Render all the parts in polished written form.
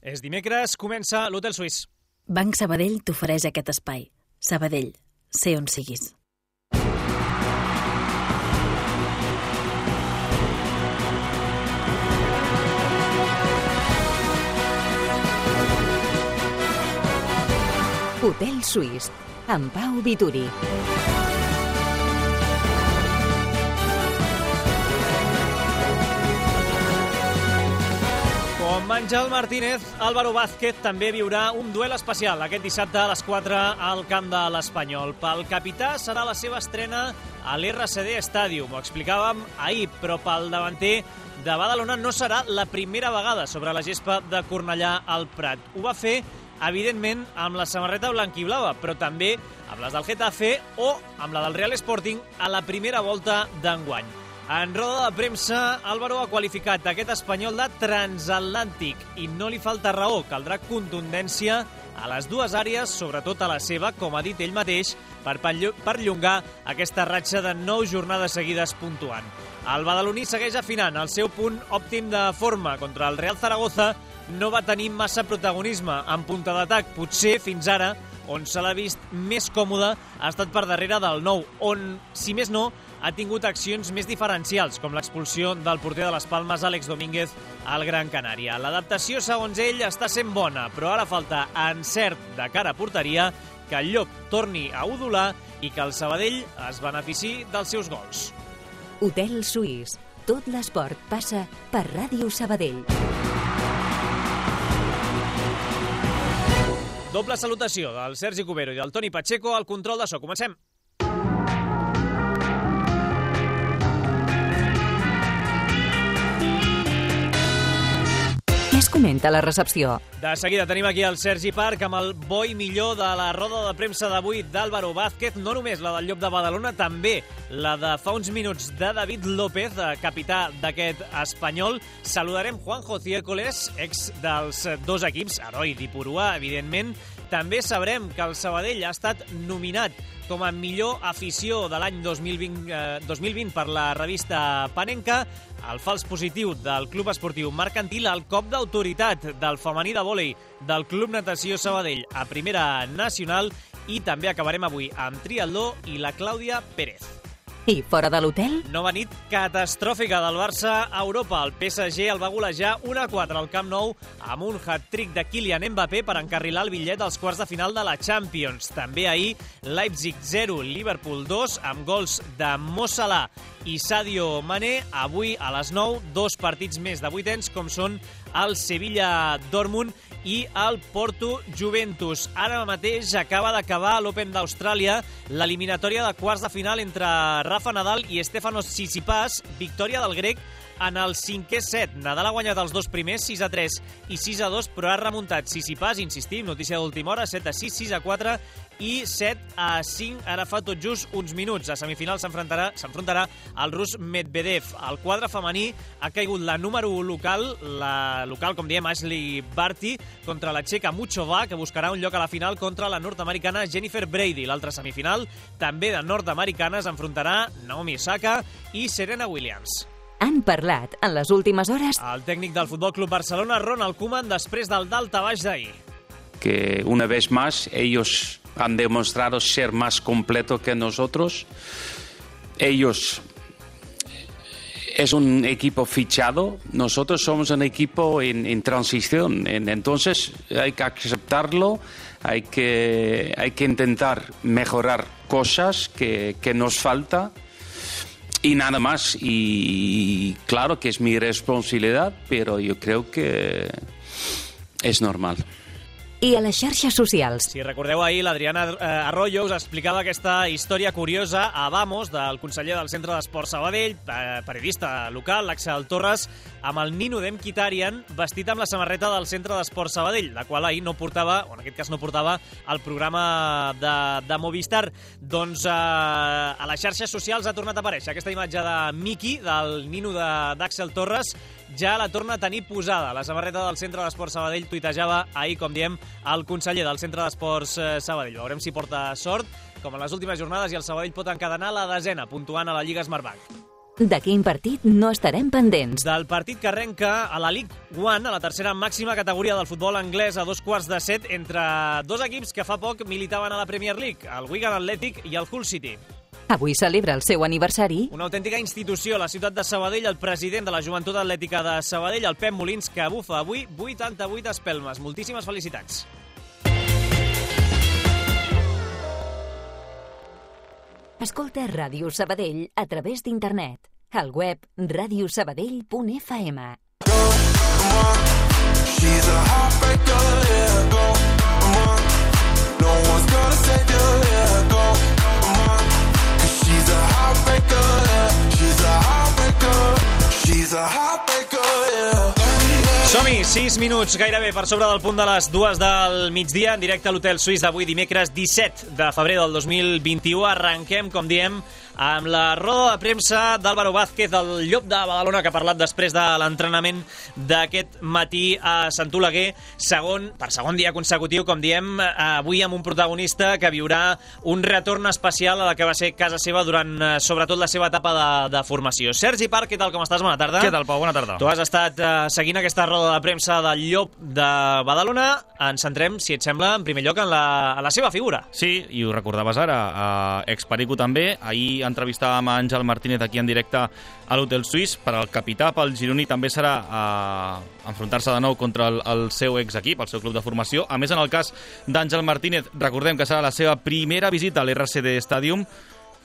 És dimecres, comença l'Hotel Suís. Banc Sabadell t'ofereix aquest espai. Sabadell, sé on siguis. Hotel Suís, amb Pau Vituri. Com Àngel Martínez, Álvaro Vázquez també viurà un duel especial aquest dissabte a les 4 al camp de l'Espanyol. Pel capità serà la seva estrena a l'RCD Stadium. Ho explicàvem ahir, però pel davanter de Badalona no serà la primera vegada sobre la gespa de Cornellà al Prat. Ho va fer, evidentment, amb la samarreta blanquiblava, però també amb les del Getafe o amb la del Real Sporting a la primera volta d'enguany. En roda de premsa, Álvaro ha qualificat aquest Espanyol de transatlàntic i no li falta raó. Caldrà contundència a les dues àrees, sobretot a la seva, com ha dit ell mateix, per perllongar aquesta ratxa de 9 jornades seguides puntuant. El badaloní segueix afinant el seu punt òptim de forma. Contra el Real Zaragoza no va tenir massa protagonisme en punta d'atac. Potser, fins ara, on se l'ha vist més còmode ha estat per darrere del 9, on, si més no, ha tingut accions més diferencials, com l'expulsió del porter de les Palmes, Àlex Domínguez, al Gran Canària. L'adaptació, segons ell, està sent bona, però ara falta encert de cara a porteria, que el Llop torni a udolar i que el Sabadell es benefici dels seus gols. Hotel Suís. Tot l'esport passa per Ràdio Sabadell. Doble salutació del Sergi Cubero i del Toni Pacheco al control de so. Comencem. Què es comenta a la recepció? De seguida tenim aquí el Sergi Parc amb el bo i millor de la roda de premsa d'avui d'Álvaro Vázquez, no només la del Llop de Badalona, també la de fa uns minuts de David López, capità d'aquest Espanyol. Saludarem Juanjo Ciércoles, ex dels dos equips, heroi d'Ipurua, evidentment. També sabrem que el Sabadell ha estat nominat com a millor afició de l'any 2020 per la revista Panenka, el fals positiu del Club Esportiu Mercantil, el cop d'autoritat del femení de vòlei del Club Natació Sabadell a Primera Nacional i també acabarem avui amb triatló i la Clàudia Pérez. I fora de l'hotel? Nova nit catastròfica del Barça a Europa. El PSG el va golejar 1-4 al Camp Nou amb un hat-trick de Kylian Mbappé per encarrilar el bitllet als quarts de final de la Champions. També ahir, Leipzig 0, Liverpool 2, amb gols de Mo Salah i Sadio Mané. Avui a les 9, dos partits més de vuitens, com són el Sevilla-Dortmund i el Porto-Juventus. Ara mateix acaba d'acabar l'Open d'Austràlia, l'eliminatòria de quarts de final entre Rafa Nadal i Stefanos Tsitsipas, victòria del grec en el 5è set. Nadal ha guanyat els dos primers, 6-3 i 6-2, però ha remuntat Tsitsipas, insistim, notícia d'última hora, 7-6, 6-4 i 7-5, ara fa tot just uns minuts. A semifinals s'enfrontarà el rus Medvedev. Al quadre femení ha caigut la número 1 local, com diem, Ashley Barty, contra la txeca Muchova, que buscarà un lloc a la final contra la nord-americana Jennifer Brady. L'altra semifinal, també de nord-americanes, enfrontarà Naomi Osaka i Serena Williams. Han parlat en les últimes hores el tècnic del Futbol Club Barcelona, Ronald Koeman, després del daltabaix d'ahir. Que una vez más ellos han demostrado ser más completos que nosotros. Ellos es un equipo fichado, nosotros somos un equipo en transición. Entonces hay que aceptarlo, hay que intentar mejorar cosas que nos falta. Y nada más, y claro que es mi responsabilidad, pero yo creo que es normal. I a les xarxes socials. Si recordeu ahir, l'Adriana Arroyo us explicava aquesta història curiosa a Vamos, del conseller del Centre d'Esport Sabadell, periodista local, l'Axel Torres, amb el Nino Demkhitaryan vestit amb la samarreta del Centre d'Esport Sabadell, la qual ahir no portava, o en aquest cas no portava, el programa de Movistar. Doncs a les xarxes socials ha tornat a aparèixer aquesta imatge de Miki, del Nino d'Axel Torres, ja la torna a tenir posada. La samarreta del Centre d'Esports Sabadell tuitejava ahir, com diem, el conseller del Centre d'Esports Sabadell. Veurem si porta sort, com en les últimes jornades, i el Sabadell pot encadenar la 10ª, puntuant a la Lliga Smartbank. De quin partit no estarem pendents? Del partit que arrenca a la League One, a la tercera màxima categoria del futbol anglès, a 7:15, entre dos equips que fa poc militaven a la Premier League, el Wigan Athletic i el Hull City. Avui celebra el seu aniversari. Una autèntica institució a la ciutat de Sabadell, el president de la Joventut Atlètica de Sabadell, el Pep Molins, que bufa avui 88 espelmes. Moltíssimes felicitats. Escolta Ràdio Sabadell a través d'internet. Al web radiosabadell.fm. She's a heartbreaker, yeah, go, come on. No one's gonna save you, yeah, go, come on. 'Cause she's a heartbreaker, yeah. She's a heartbreaker. She's a heartbreaker, yeah. Som-hi, 6 minuts gairebé per sobre del punt de les 2 del migdia, en directe a l'Hotel Suís d'avui, dimecres 17 de febrer del 2021. Arrenquem, com diem, amb la roda de premsa d'Álvaro Vázquez, el Llop de Badalona, que ha parlat després de l'entrenament d'aquest matí a Sant Oleguer, per segon dia consecutiu, com diem, avui amb un protagonista que viurà un retorn especial a la que va ser casa seva durant, sobretot, la seva etapa de formació. Sergi Parc, què tal, com estàs? Bona tarda. Què tal, Pau? Bona tarda. Tu has estat seguint aquesta roda de premsa del Llop de Badalona. Ens centrem, si et sembla, en primer lloc en la seva figura. Sí, i ho recordaves ara, ex-Perico també. Ahir entrevistàvem a Àngel Martínez aquí en directe a l'Hotel Suís. Per al capità, pel gironí, també serà enfrontar-se de nou contra el seu ex-equip, el seu club de formació. A més, en el cas d'Àngel Martínez, recordem que serà la seva primera visita a l'RCD Stadium.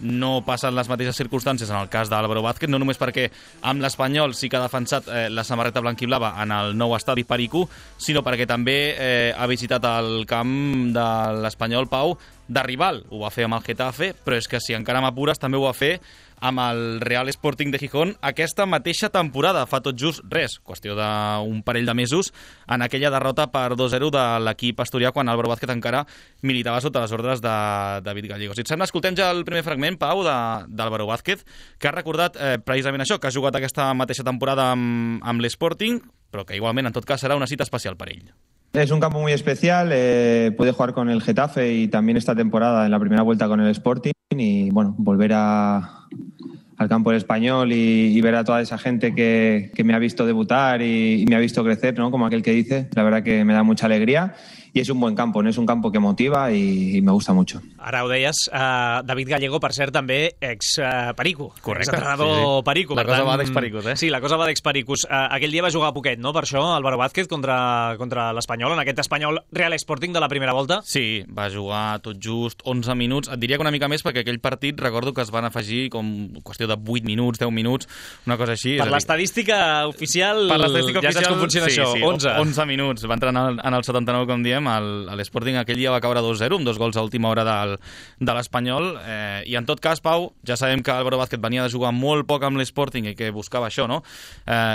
No passen les mateixes circumstàncies en el cas d'Álvaro Vázquez, no només perquè amb l'Espanyol sí que ha defensat la samarreta blanquiblava en el nou estadi Perico, sinó perquè també ha visitat el camp de l'Espanyol, Pau, de rival. Ho va fer amb el Getafe, però és que si encara m'apures també ho va fer amb el Real Sporting de Gijón aquesta mateixa temporada, fa tot just res, qüestió d'un parell de mesos, en aquella derrota per 2-0 de l'equip asturià quan Álvaro Vázquez encara militava sota les ordres de David Gallego. Si et sembla, escoltem ja el primer fragment, Pau, d'Álvaro Vázquez, que ha recordat precisament això, que ha jugat aquesta mateixa temporada amb l'Sporting, però que igualment, en tot cas, serà una cita especial per ell. Es un campo muy especial, pude jugar con el Getafe y también esta temporada en la primera vuelta con el Sporting y bueno, volver al campo del Español y ver a toda esa gente que me ha visto debutar y me ha visto crecer, ¿no? Como aquel que dice, la verdad que me da mucha alegría y es un buen campo, ¿no? Es un campo que motiva y me gusta mucho. Ara ho deies, David Gallego, per cert, també ex-Perico. Correcte. Ex-entrenador Perico. La cosa va d'ex-Pericos, eh? Sí, la cosa va d'ex-Pericos. Aquell dia va jugar poquet, no?, per això, Álvaro Vázquez contra l'Espanyol, en aquest Espanyol Real Sporting de la primera volta. Sí, va jugar tot just 11 minuts. Et diria que una mica més, perquè aquell partit recordo que es van afegir com qüestió de 8 minuts, 10 minuts, una cosa així. Per l'estadística oficial, ja saps com funciona això, sí, 11 minuts. Va entrar en el 79, com diem, l'Sporting aquell dia va caure 2-0, amb 2 gols a última hora de l'Espanyol, i en tot cas, Pau, ja sabem que Álvaro Vázquez venia de jugar molt poc amb l'Sporting i que buscava això, no?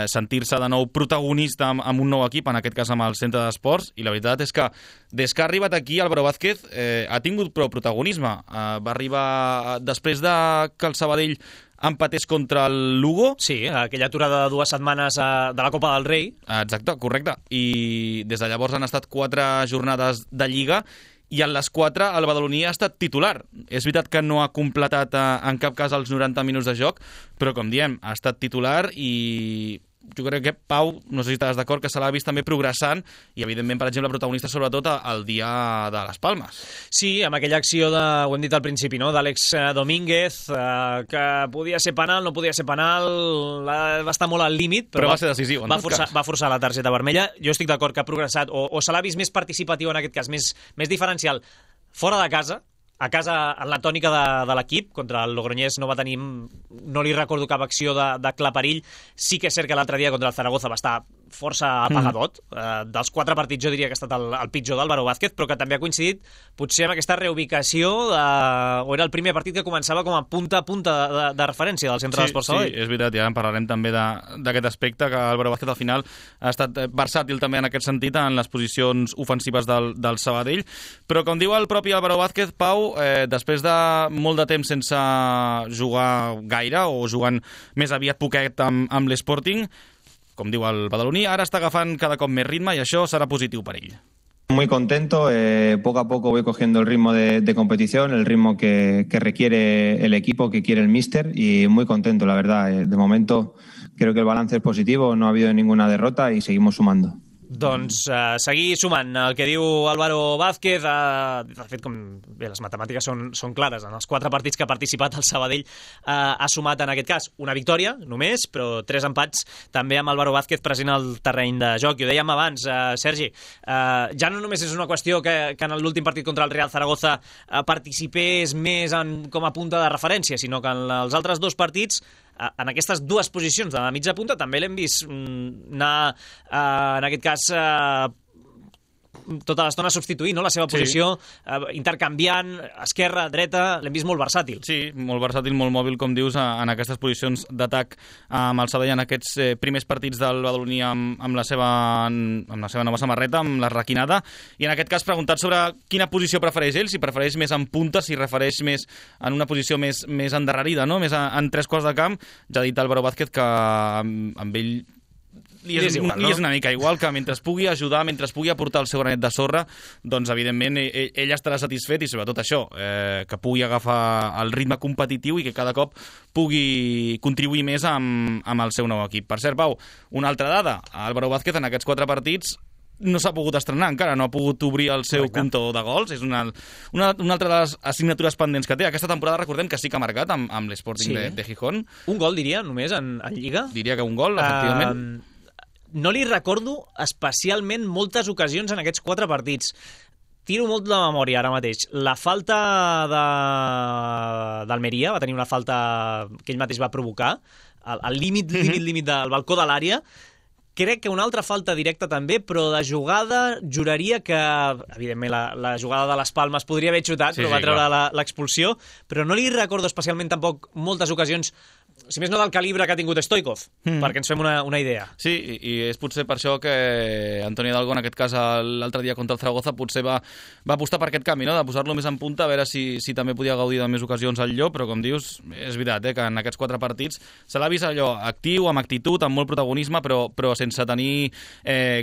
Sentir-se de nou protagonista amb un nou equip, en aquest cas amb el Centre d'Esports, i la veritat és que des que ha arribat aquí Álvaro Vázquez ha tingut prou protagonisme. Va arribar després de que el Sabadell empatés contra el Lugo. Sí, aquella aturada de 2 setmanes de la Copa del Rei. Exacte, correcte. I des de llavors han estat 4 jornades de Lliga i en les 4 el badaloní ha estat titular. És veritat que no ha completat en cap cas els 90 minuts de joc, però com diem, ha estat titular i jo crec que, Pau, no sé si estàs d'acord, que se l'ha vist també progressant i, evidentment, per exemple, protagonista sobretot el dia de les Palmes. Sí, amb aquella acció ho hem dit al principi, no?, d'Àlex Domínguez, que podia ser penal, no podia ser penal, va estar molt al límit, però va ser decisiu, va forçar la targeta vermella. Jo estic d'acord que ha progressat, o se l'ha vist més participatiu en aquest cas, més diferencial, fora de casa. A casa, en la tònica de l'equip, contra el Logroñés no li recordo cap acció de clar perill. Sí que és cert que l'altre dia contra el Zaragoza va estar força apagadot. Dels 4 partits jo diria que ha estat el pitjor d'Álvaro Vázquez, però que també ha coincidit potser amb aquesta reubicació, o era el primer partit que començava com a punta de referència del Centre d'Esports Sabadell. Sí, és veritat, ja en parlarem també d'aquest aspecte, que Álvaro Vázquez al final ha estat versàtil també en aquest sentit en les posicions ofensives del Sabadell, però com diu el propi Álvaro Vázquez, Pau, després de molt de temps sense jugar gaire o jugant més aviat poquet amb l'Sporting, com diu el badaloní, ara està agafant cada cop més ritme i això serà positiu per ell. Muy contento, poco a poco voy cogiendo el ritmo de competición, el ritmo que requiere el equipo, que quiere el míster, y muy contento, la verdad. De momento creo que el balance es positivo, no ha habido ninguna derrota y seguimos sumando. Doncs seguir sumant el que diu Álvaro Vázquez. De fet, com bé, les matemàtiques són clares. En els 4 partits que ha participat el Sabadell ha sumat en aquest cas una victòria només, però 3 empats també amb Álvaro Vázquez present al terreny de joc. I ho dèiem abans, Sergi, ja no només és una qüestió que en l'últim partit contra el Real Zaragoza participés més com a punta de referència, sinó que en els altres 2 partits, en aquestes 2 posicions de la mitja punta, també l'hem vist anar, en aquest cas, tota l'estona substituint, no?, la seva posició, intercanviant esquerra, dreta, l'hem vist molt versàtil. Sí, molt versàtil, molt mòbil, com dius, en aquestes posicions d'atac amb el Sabadell en aquests primers partits del Badaloní amb la seva nova samarreta, amb la requinada, i en aquest cas preguntat sobre quina posició prefereix ell, si prefereix més en punta, si prefereix més en una posició més endarrerida, no?, més en 3 quarts de camp. Ja ha dit Álvaro Vázquez que amb ell li és una mica igual, que mentre pugui ajudar, mentre pugui aportar el seu granet de sorra, doncs evidentment ell estarà satisfet, i sobretot això, que pugui agafar el ritme competitiu i que cada cop pugui contribuir més amb el seu nou equip. Per cert, Pau, una altra dada, Álvaro Vázquez en aquests 4 partits no s'ha pogut estrenar encara, no ha pogut obrir el seu compte de gols. És una altra de les assignatures pendents que té. Aquesta temporada recordem que sí que ha marcat amb l'Sporting de Gijón. Un gol, diria, només en Lliga? Diria que un gol, efectivament. No li recordo especialment moltes ocasions en aquests 4 partits. Tiro molt de memòria ara mateix. La falta d'Almeria, va tenir una falta que ell mateix va provocar, al límit del balcó de l'àrea. Crec que una altra falta directa també, però de jugada juraria que, evidentment, la jugada de les Palmes podria haver xutat, però va treure l'expulsió, però no li recordo especialment tampoc moltes ocasions, si més no del calibre que ha tingut Stoikov, perquè ens fem una idea. Sí, i és potser per això que Antonio Hidalgo, en aquest cas l'altre dia contra el Zaragoza, potser va apostar per aquest canvi, no?, de posar-lo més en punta, a veure si també podia gaudir de més ocasions al lloc, però com dius, és veritat, que en aquests 4 partits se l'ha vist allò actiu, amb actitud, amb molt protagonisme, però sense tenir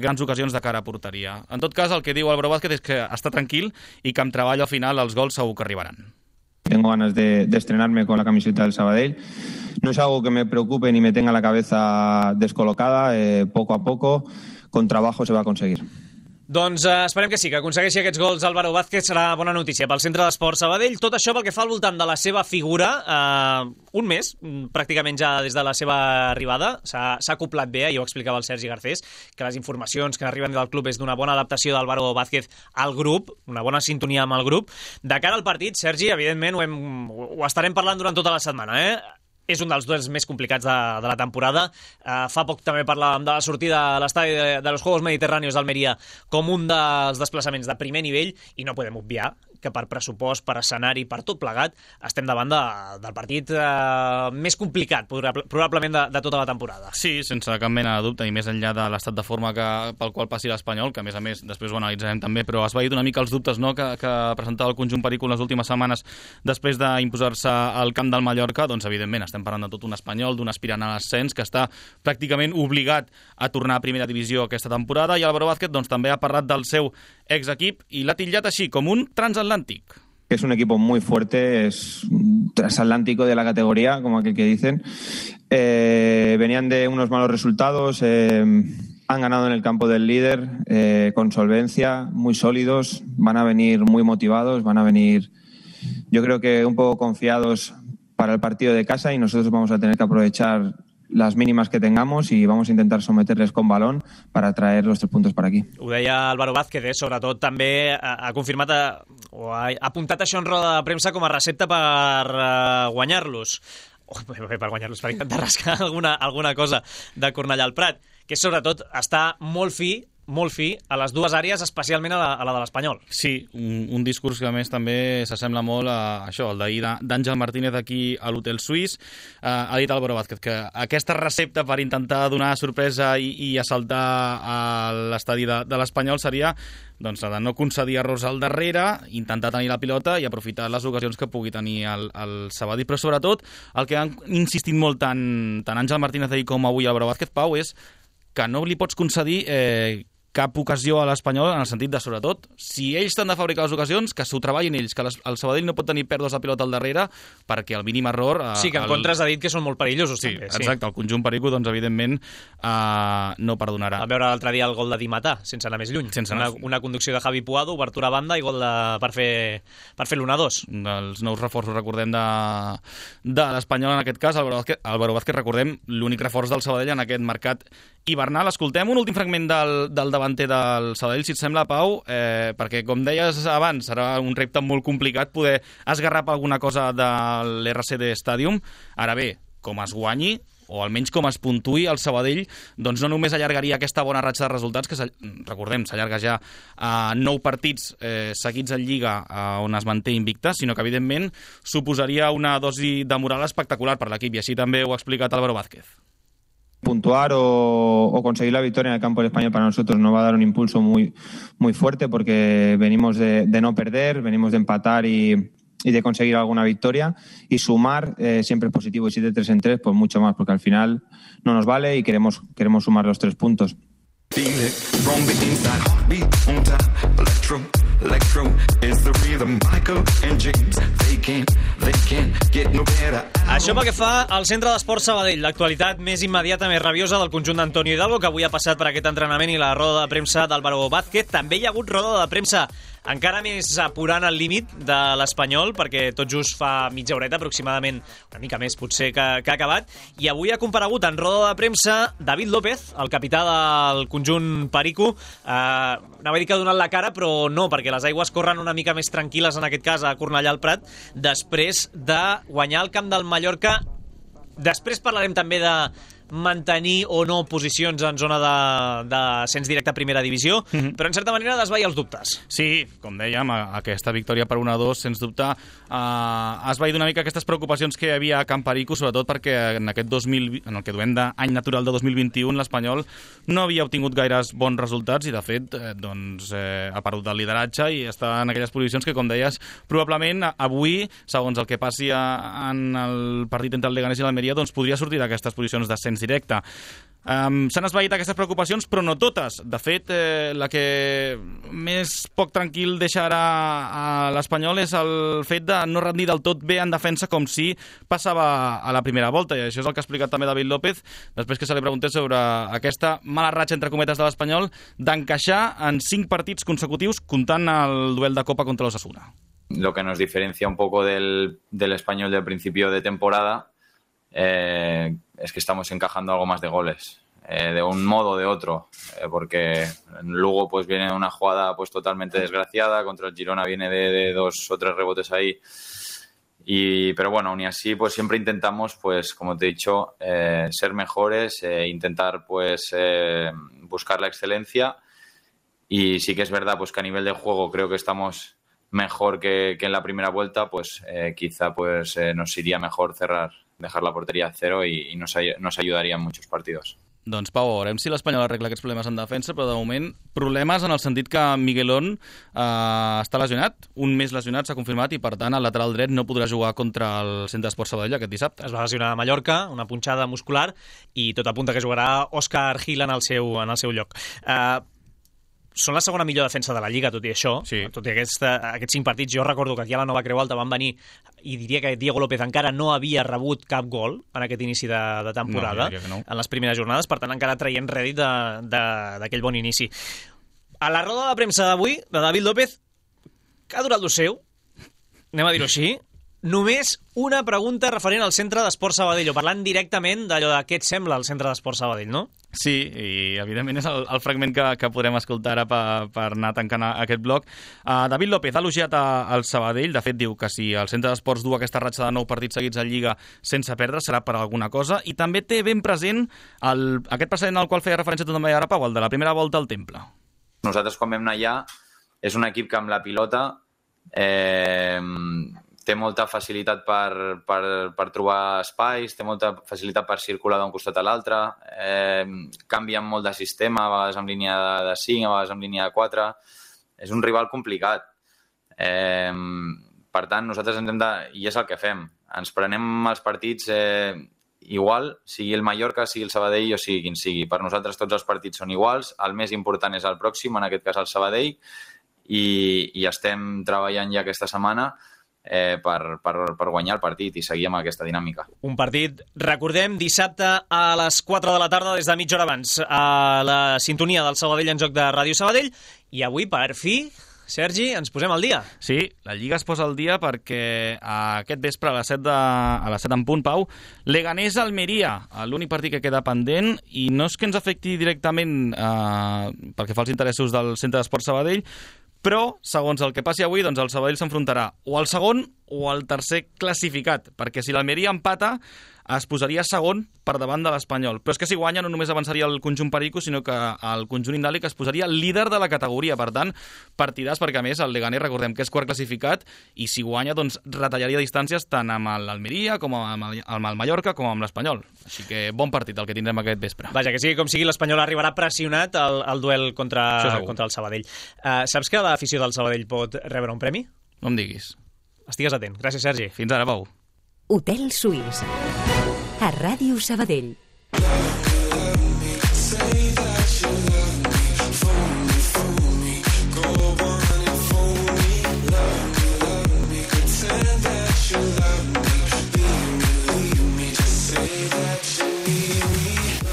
grans ocasions de cara a porteria. En tot cas, el que diu Álvaro Vázquez és que està tranquil i que amb treball al final els gols segur que arribaran. Tengo ganas de estrenarme con la camiseta del Sabadell. No es algo que me preocupe ni me tenga la cabeza descolocada. Poco a poco, con trabajo se va a conseguir. Doncs esperem que sí, que aconsegueixi aquests gols Álvaro Vázquez. Serà bona notícia pel Centre d'Esports Sabadell. Tot això pel que fa al voltant de la seva figura. Un mes, pràcticament ja des de la seva arribada, s'ha acoplat bé, ja ho explicava el Sergi Garcés, que les informacions que arriben del club és d'una bona adaptació d'Álvaro Vázquez al grup, una bona sintonia amb el grup. De cara al partit, Sergi, evidentment ho estarem parlant durant tota la setmana, És un dels duels més complicats de la temporada. Fa poc també parlàvem de la sortida a l'estadi de los Juegos Mediterráneos d'Almeria com un dels desplaçaments de primer nivell, i no podem obviar que per pressupost, per escenari, per tot plegat, estem davant del partit més complicat, probablement, de tota la temporada. Sí, sense cap mena de dubte, i més enllà de l'estat de forma pel qual passi l'Espanyol, que a més després ho analitzarem també, però has veït una mica els dubtes, no?, que presentava el conjunt perico les últimes setmanes després d'imposar-se al camp del Mallorca. Doncs evidentment estem parlant de tot un espanyol, d'un aspirant a l'ascens que està pràcticament obligat a tornar a primera divisió aquesta temporada, i Álvaro Vázquez també ha parlat del seu exequip i l'ha titllat així, com un transatlàntic. Es un equipo muy fuerte, es un transatlántico de la categoría, como aquel que dicen. Venían de unos malos resultados, han ganado en el campo del líder con solvencia, muy sólidos, van a venir muy motivados, van a venir, yo creo que un poco confiados para el partido de casa, y nosotros vamos a tener que aprovechar las mínimas que tengamos y vamos a intentar someterles con balón para traer los 3 puntos para aquí. Ho deia Álvaro Vázquez, sobretot també ha confirmat o ha apuntat això en roda de premsa com a recepta per guanyar-los. Per guanyar-los, per intentar rascar alguna cosa de Cornellà al Prat, que sobretot està molt fi a les dues àrees, especialment a la de l'Espanyol. Sí, un discurs que a més també s'assembla molt a això, el d'ahir d'Àngel Martínez aquí a l'Hotel Suís. Ha dit Álvaro Vázquez que aquesta recepta per intentar donar sorpresa i assaltar a l'estadi de l'Espanyol seria doncs, de no concedir errors al darrere, intentar tenir la pilota i aprofitar les ocasions que pugui tenir el Sabadell. Però sobretot el que han insistit molt tant Àngel Martínez ahir com avui Álvaro Vázquez, Pau, és que no li pots concedir cap ocasió a l'Espanyol, en el sentit de, sobretot, si ells t'han de fabricar les ocasions, que s'ho treballin ells, que el Sabadell no pot tenir pèrdues de pilota al darrere, perquè el mínim error... Sí, que en contra has dit que són molt perillosos. Sí, també, exacte, el conjunt perico, doncs, evidentment, no perdonarà. Vam veure l'altre dia el gol de Di Matà, sense anar més lluny. Una conducció de Javi Puado, obertura a banda i gol per fer l'1-2. Els nous reforços, recordem, de l'Espanyol, en aquest cas, Álvaro Vázquez, recordem, l'únic reforç del Sabadell en aquest mercat hivernal. Escoltem un últim fragment del davanter del Sabadell, si et sembla, Pau, perquè, com deies abans, serà un repte molt complicat poder esgarrapar alguna cosa de l'RCD Stadium. Ara bé, com es guanyi, o almenys com es puntuï el Sabadell, doncs no només allargaria aquesta bona ratxa de resultats, que recordem, s'allarga ja a 9 partits seguits en Lliga on es manté invicta, sinó que evidentment suposaria una dosi de moral espectacular per l'equip, i així també ho ha explicat Álvaro Vázquez. Puntuar o conseguir la victoria en el campo del Español para nosotros nos va a dar un impulso muy fuerte, porque venimos de no perder, venimos de empatar y de conseguir alguna victoria, y sumar siempre es positivo, y si de 3 en 3 pues mucho más, porque al final no nos vale y queremos sumar los 3 puntos. Això pel que fa al Centre d'Esports Sabadell, l'actualitat més immediata, més rabiosa del conjunt d'Antonio Hidalgo, que avui ha passat per aquest entrenament, i la roda de premsa d'Álvaro Vázquez. També hi ha hagut roda de premsa encara més apurant el límit de l'Espanyol, perquè tot just fa mitja horeta aproximadament, una mica més potser, que ha acabat, i avui ha comparegut en roda de premsa David López, el capità del conjunt perico. Anava a dir que ha donat la cara, però no, perquè les aigües corren una mica més tranquil·les, en aquest cas a Cornellà al Prat, després de guanyar el camp del Mallorca. Després parlarem també de mantenir o no posicions en zona d'ascens directe a primera divisió, però en certa manera desvair els dubtes. Sí, com dèiem, aquesta victòria per 1-2, sens dubte, ha esvaït una mica aquestes preocupacions que hi havia a Camp Perico, sobretot perquè en aquest en el que duem d'any natural de 2021, l'Espanyol no havia obtingut gaires bons resultats i, de fet, ha perdut el lideratge i està en aquelles posicions que, com deies, probablement avui, segons el que passi en el partit entre el Leganés i l'Almeria, doncs podria sortir d'aquestes posicions d'ascens directe. S'han esvaït aquestes preocupacions, però no totes. De fet, la que més poc tranquil deixarà a l'Espanyol és el fet de no rendir del tot bé en defensa, com si passava a la primera volta, i això és el que ha explicat també David López després que se li preguntés sobre aquesta mala ratxa, entre cometes, de l'Espanyol d'encaixar en 5 partits consecutius, comptant el duel de Copa contra l'Osasuna. Lo que nos diferencia un poco del Español del principio de temporada es que estamos encajando algo más de goles, de un modo o de otro, porque Lugo pues viene de una jugada pues totalmente desgraciada, contra el Girona viene de 2 o 3 rebotes ahí, pero bueno, aún y así pues siempre intentamos, pues como te he dicho, ser mejores, intentar pues buscar la excelencia, y sí que es verdad pues que a nivel de juego creo que estamos mejor que en la primera vuelta, pues quizá pues nos iría mejor dejar la porteria a 0 i nos ayudaría en muchos partidos. Doncs, Pau, veurem si l'Espanyol arregla aquests problemes en defensa, però de moment problemes en el sentit que Miguelón està lesionat, un mes lesionat, s'ha confirmat, i per tant el lateral dret no podrà jugar contra el Centre d'Esports Sabadell aquest dissabte. Es va lesionar a Mallorca, una punxada muscular, i tot apunta que jugarà Òscar Gil en el seu lloc. Són la segona millor defensa de la Lliga, tot i això. Sí. Tot i aquests 5 partits. Jo recordo que aquí a la Nova Creu Alta van venir, i diria que Diego López encara no havia rebut cap gol en aquest inici de temporada, no. En les primeres jornades, per tant encara traient rèdit d'aquell bon inici. A la roda de premsa d'avui, de David López, que ha durat lo seu, anem a dir-ho així, només una pregunta referent al Centre d'Esports Sabadell, o parlant directament d'allò de què et sembla el Centre d'Esports Sabadell, no? Sí, i evidentment és el fragment que podrem escoltar ara per anar tancant aquest bloc. David López ha elogiat al Sabadell, de fet diu que si el Centre d'Esports du aquesta ratxa de 9 partits seguits en Lliga sense perdre serà per alguna cosa, i també té ben present aquest precedent al qual feia referència també ara, Pau, el de la primera volta al Temple. Nosaltres quan vam anar allà és un equip que amb la pilota té molta facilitat per trobar espais, té molta facilitat per circular d'un costat a l'altre, canvien molt de sistema, a vegades amb línia de 5, a vegades amb línia de 4. És un rival complicat. Per tant, nosaltres i és el que fem. Ens prenem els partits igual, sigui el Mallorca, sigui el Sabadell o sigui quin sigui. Per nosaltres tots els partits són iguals, el més important és el pròxim, en aquest cas el Sabadell, i estem treballant ja aquesta setmana per guanyar el partit i seguir amb aquesta dinàmica. Un partit, recordem, dissabte a les 4 de la tarda, des de mitja hora abans, a la sintonia del Sabadell en joc de Ràdio Sabadell, i avui, per fi, Sergi, ens posem al dia. Sí, la Lliga es posa al dia perquè aquest vespre a les 7 en punt, Pau, Leganés-Almeria, l'únic partit que queda pendent, i no és que ens afecti directament pel que fa als interessos del Centre d'Esport Sabadell, però, segons el que passi avui, doncs el Sabadell s'enfrontarà o al segon o al tercer classificat, perquè si l'Almeria empata es posaria segon per davant de l'Espanyol. Però és que si guanya no només avançaria el conjunt perico, sinó que el conjunt indàlic es posaria líder de la categoria. Per tant, partidàs, perquè a més el Leganés, recordem que és quart classificat, i si guanya, doncs retallaria distàncies tant amb l'Almeria com amb el Mallorca com amb l'Espanyol. Així que bon partit el que tindrem aquest vespre. Vaja, que sigui com sigui, l'Espanyol arribarà pressionat al duel contra el Sabadell. Saps que l'afició del Sabadell pot rebre un premi? No em diguis. Estigues atent. Gràcies, Sergi. Fins ara, Pau. Hotel Suís. A Ràdio Sabadell.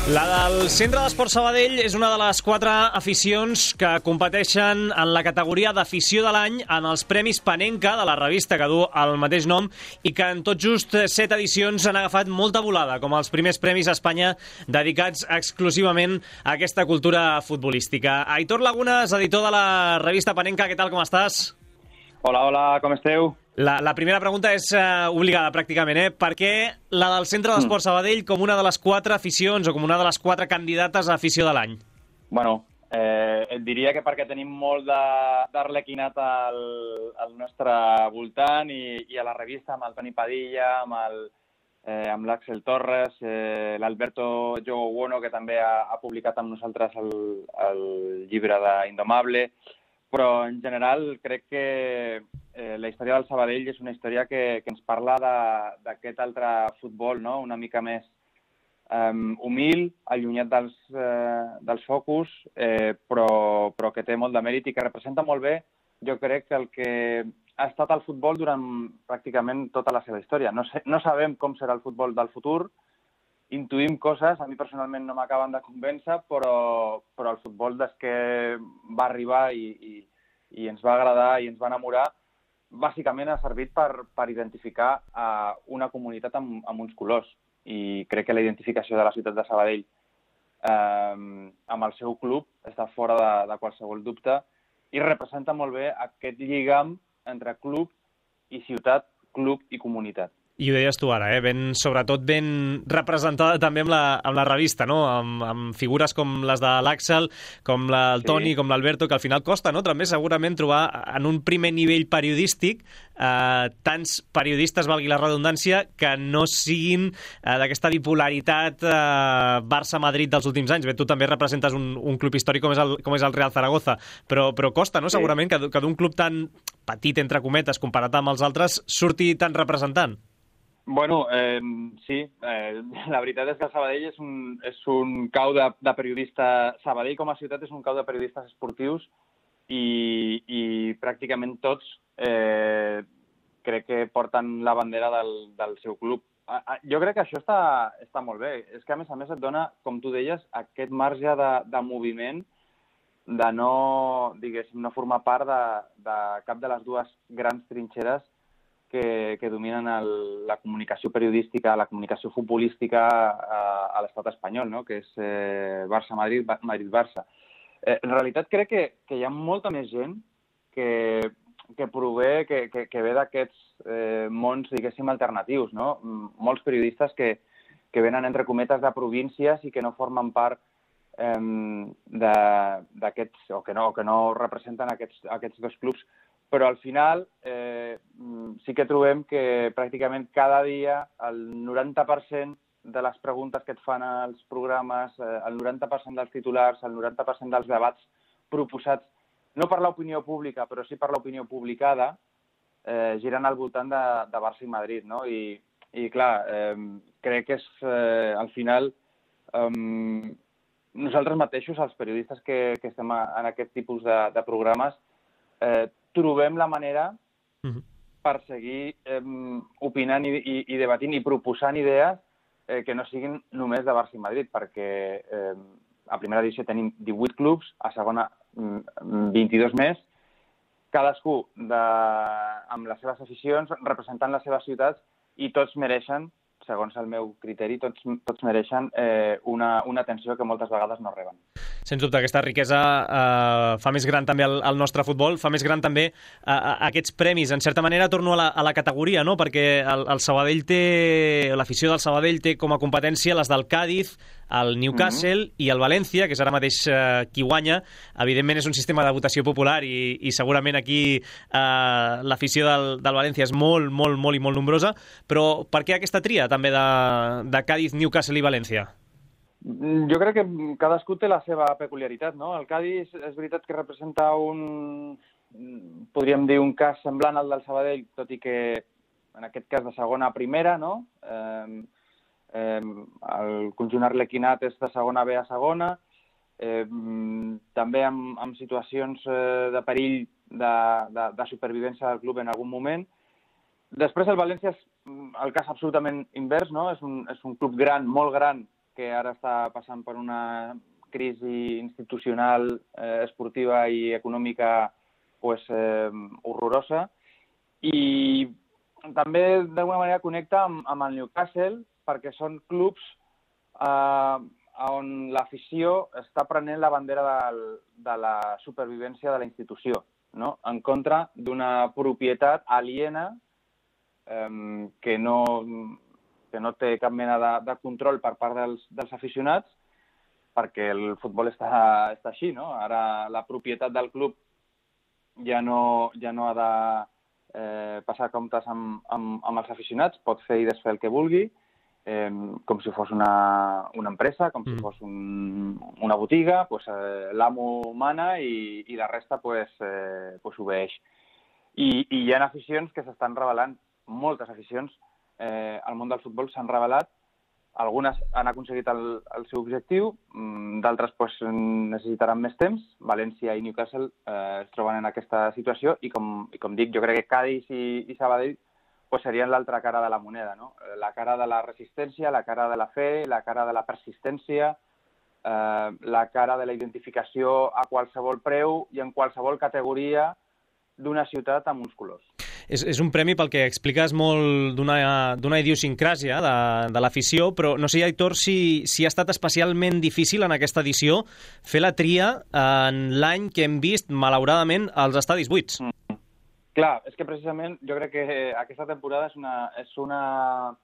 La del Centre d'Esport Sabadell és una de les 4 aficions que competeixen en la categoria d'afició de l'any en els Premis Panenka de la revista que du el mateix nom i que en tot just 7 edicions han agafat molta volada, com els primers premis a Espanya dedicats exclusivament a aquesta cultura futbolística. Aitor Lagunas, editor de la revista Panenka, què tal, com estàs? Hola, com esteu? La primera pregunta és obligada, pràcticament, Per què la del Centre d'Esport Sabadell com una de les 4 aficions o com una de les 4 candidates a afició de l'any? Bueno, et diria que perquè tenim molt d'arlequinat al nostre voltant i a la revista, amb el Toni Padilla, amb l'Àxel Torres, l'Alberto Jogo Bueno, que també ha publicat amb nosaltres el llibre d'Indomable. Però, en general, crec que la història del Sabadell és una història que ens parla d'aquest altre futbol, no? Una mica més humil, allunyat dels focus, però que té molt de mèrit i que representa molt bé, jo crec, el que ha estat el futbol durant pràcticament tota la seva història. No sabem com serà el futbol del futur, intuïm coses, a mi personalment no m'acaben de convèncer, però el futbol des que va arribar i ens va agradar i ens va enamorar, bàsicament ha servit per identificar una comunitat amb uns colors. I crec que la identificació de la ciutat de Sabadell amb el seu club està fora de qualsevol dubte i representa molt bé aquest lligam entre club i ciutat, club i comunitat. I ho deies tu ara, sobretot ben representada també amb la revista, no? Amb figures com les de l'Àxel, com el Toni, com l'Alberto, que al final costa, no? També segurament trobar en un primer nivell periodístic tants periodistes, valgui la redundància, que no siguin d'aquesta bipolaritat Barça-Madrid dels últims anys. Bé, tu també representes un club històric com és el Real Zaragoza, però costa, no? Segurament que d'un club tan petit, entre cometes, comparat amb els altres, surti tan representant. Bueno, sí, la veritat és que Sabadell és un cau de periodistes... Sabadell com a ciutat és un cau de periodistes esportius i pràcticament tots crec que porten la bandera del seu club. Jo crec que això està molt bé. És que a més et dona, com tu deies, aquest marge de moviment, de no, diguéssim, no formar part de cap de les dues grans trinxeres que dominen la comunicació periodística, la comunicació futbolística a l'estat espanyol, no? Que és Barça-Madrid, Madrid-Barça. En realitat crec que hi ha molta més gent que prové, que ve d'aquests mons, diguéssim, alternatius, no? Molts periodistes que venen entre cometes de províncies i que no formen part d'aquests, o que no representen aquests dos clubs. Però al final sí que trobem que pràcticament cada dia el 90% de les preguntes que et fan als programes, el 90% dels titulars, el 90% dels debats proposats, no per l'opinió pública, però sí per l'opinió publicada, giren al voltant de Barça i Madrid, no? I clar, crec que és, al final, nosaltres mateixos, els periodistes que estem en aquest tipus de programes, trobem la manera per seguir opinant i debatint i proposant idees que no siguin només de Barça i Madrid, perquè a primera divisió tenim 18 clubs, a segona 22 més, cadascú amb les seves aficions, representant les seves ciutats, i tots mereixen, segons el meu criteri, tots mereixen una atenció que moltes vegades no reben. Sens dubte, aquesta riquesa fa més gran també el nostre futbol, fa més gran també aquests premis. En certa manera, torno a la categoria, no? Perquè el Sabadell l'afició del Sabadell té com a competència les del Cádiz, el Newcastle i el València, que és ara mateix qui guanya. Evidentment és un sistema de votació popular i segurament aquí l'afició del València és molt, molt, molt i molt nombrosa, però per què aquesta tria també de Cádiz, Newcastle i València? Jo crec que cadascú té la seva peculiaritat, no? El Cádiz és veritat que representa podríem dir, un cas semblant al del Sabadell, tot i que en aquest cas de segona a primera, no? El conjunt arlequinat és de segona B a segona, també amb situacions de perill de supervivència del club en algun moment. Després el València és el cas absolutament invers, no? És un club gran, molt gran, que ara està passant per una crisi institucional, esportiva i econòmica horrorosa. I també d'alguna manera connecta amb el Newcastle, perquè són clubs on l'afició està prenent la bandera de la supervivència de la institució, no? En contra d'una propietat aliena que no té cap mena de control per part dels aficionats, perquè el futbol està així, no? Ara la propietat del club ja no ha de passar comptes amb els aficionats, pot fer i desfer el que vulgui, com si fos una empresa, com si fos una botiga, l'amo mana i la resta obeeix. I hi ha aficions que s'estan revelant, moltes aficions, al món del futbol s'han revelat, algunes han aconseguit el seu objectiu, d'altres necessitaran més temps. València i Newcastle es troben en aquesta situació i, com dic, jo crec que Cádiz i Sabadell serien l'altra cara de la moneda, no? La cara de la resistència, la cara de la fe, la cara de la persistència, la cara de la identificació a qualsevol preu i en qualsevol categoria d'una ciutat amb uns colors. És un premi pel que expliques molt d'una idiosincràsia de l'afició, però no sé, Aitor, si ha estat especialment difícil en aquesta edició fer la tria en l'any que hem vist, malauradament, els estadis buits. Clar, és que precisament jo crec que aquesta temporada és una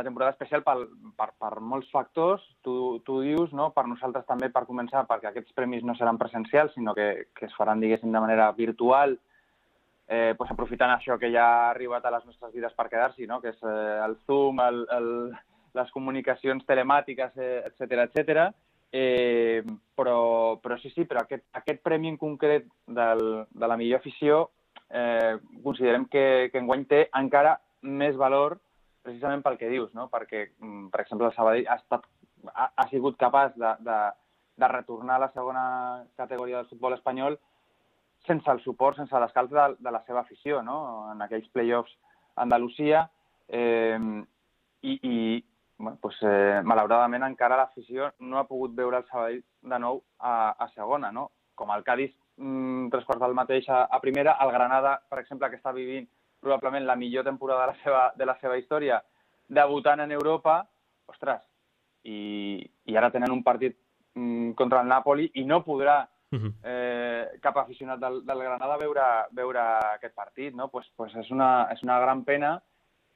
temporada especial per molts factors. Tu dius, no? Per nosaltres també, per començar, perquè aquests premis no seran presencials, sinó que es faran, diguéssim, de manera virtual, aprofitant això que ja ha arribat a les nostres vides per quedar-s'hi, no? Que és el Zoom, les comunicacions telemàtiques, etcètera. Però sí, però aquest premi en concret de la millor afició considerem que enguany té encara més valor precisament pel que dius, no? Perquè, per exemple, el Sabadell ha sigut capaç de retornar a la segona categoria del futbol espanyol sense el suport, sense l'escalf de la seva afició, no? En aquells play-offs a Andalusia. Malauradament encara l'afició no ha pogut veure el Sabadell de nou a segona, no? Com el Cádiz, 3/4 del mateix a primera, el Granada, per exemple, que està vivint probablement la millor temporada de la seva història, debutant en Europa, ostres, i ara tenen un partit contra el Napoli i no podrà cap aficionat del Granada veure aquest partit, no? És una gran pena,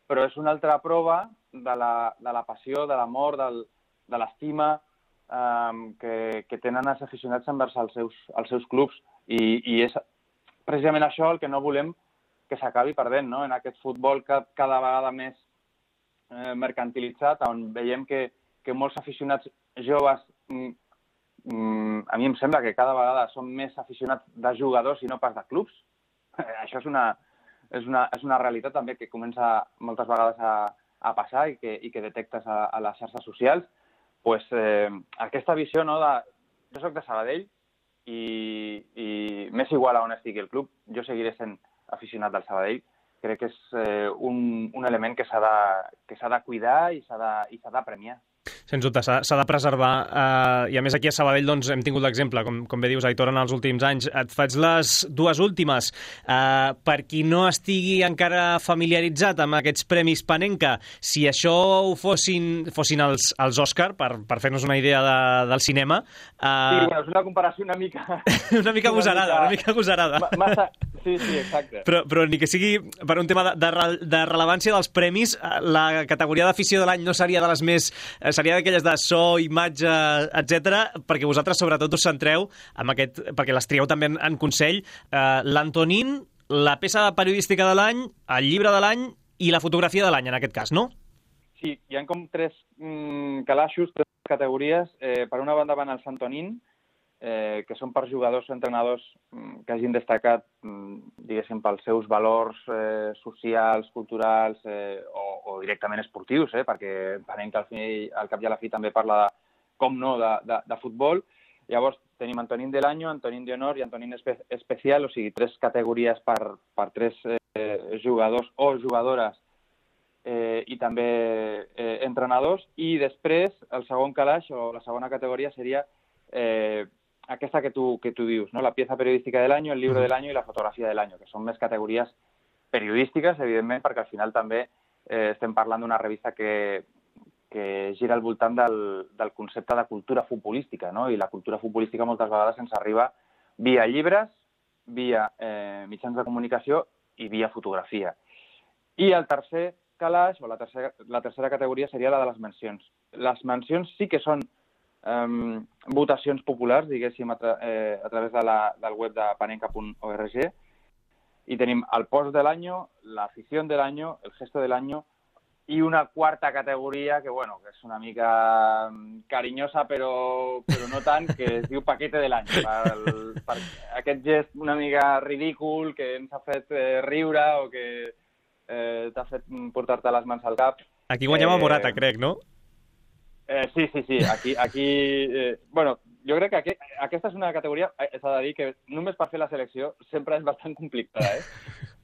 però és una altra prova de la passió, de l'amor, de l'estima que tenen els aficionats envers els seus clubs. I és precisament això el que no volem que s'acabi perdent, no? En aquest futbol cada vegada més mercantilitzat, on veiem que molts aficionats joves, a mi em sembla que cada vegada són més aficionats de jugadors i no pas de clubs. Això és una realitat també que comença moltes vegades a a passar i que detectes a les xarxes socials, pues, aquesta visió, no, jo soc de Sabadell i m'és igual a on estigui el club, jo seguiré sent aficionat del Sabadell. Crec que és un element que s'ha de cuidar i s'ha de premiar. Sens dubte, s'ha de preservar. I a més aquí a Sabadell doncs, hem tingut l'exemple, com bé dius, Aitor, en els últims anys. Et faig les dues últimes. Per qui no estigui encara familiaritzat amb aquests Premis Panenka, si això ho fossin els Òscar, per fer-nos una idea del cinema... Sí, bueno, és una comparació una mica... una mica agosarada. Massa... Sí, exacte. Però ni que sigui per un tema de rellevància dels premis, la categoria d'afició de l'any no seria de les més... Seria d'aquelles de so, imatge, etc, perquè vosaltres sobretot us centreu en aquest... perquè les trieu també en consell, l'Antonín, la peça periodística de l'any, el llibre de l'any i la fotografia de l'any, en aquest cas, no? Sí, hi ha com tres calaixos, tres categories. Per una banda van els Antonín, que són per jugadors o entrenadors que hagin destacat, diguéssim, pels seus valors socials, culturals o directament esportius, perquè entenem que al cap i a la fi també parla, com no, de futbol. Llavors tenim Antonín de l'any, Antonín de honor i Antonín especial, o sigui, tres categories per tres jugadors o jugadores i també entrenadors. I després el segon calaix o la segona categoria seria aquesta que tu dius, ¿no? La pieza periodística del año, el libro del año i la fotografia del año, que són més categories periodístiques, evidentment, perquè al final també estem parlant d'una revista que gira al voltant del concepte de cultura futbolística, no? I la cultura futbolística moltes vegades ens arriba via llibres, via mitjans de comunicació i via fotografia. I el tercer calaix, o la tercera categoria, seria la de les mencions. Les mencions sí que són votacions populars, diguéssim, a través del web de panenka.org, i tenim el post de l'año, la afición del año, el gesto del año, i una quarta categoria que, bueno, que és una mica carinyosa, però no tant, que es diu paquete de l'any. Per aquest gest una mica ridícul que ens ha fet riure o que t'ha fet portar-te les mans al cap. Aquí guanyava Morata, crec, no? Sí. Aquí bueno, jo crec que aquesta és una categoria, s'ha de dir, que només per fer la selecció sempre és bastant complicada,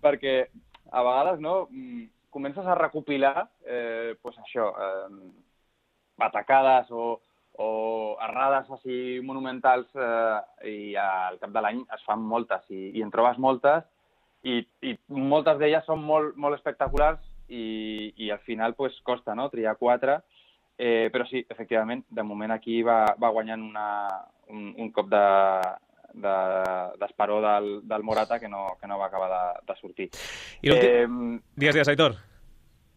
perquè a vegades, no, comences a recopilar, pues això, batacades o errades així monumentals i al cap de l'any es fan moltes i en trobes moltes i moltes d'elles són molt espectaculars i al final pues costa, no, triar quatre. Però sí, efectivament, de moment aquí va guanyant un cop d'esperó del Morata que no va acabar de sortir. Digues, Aitor.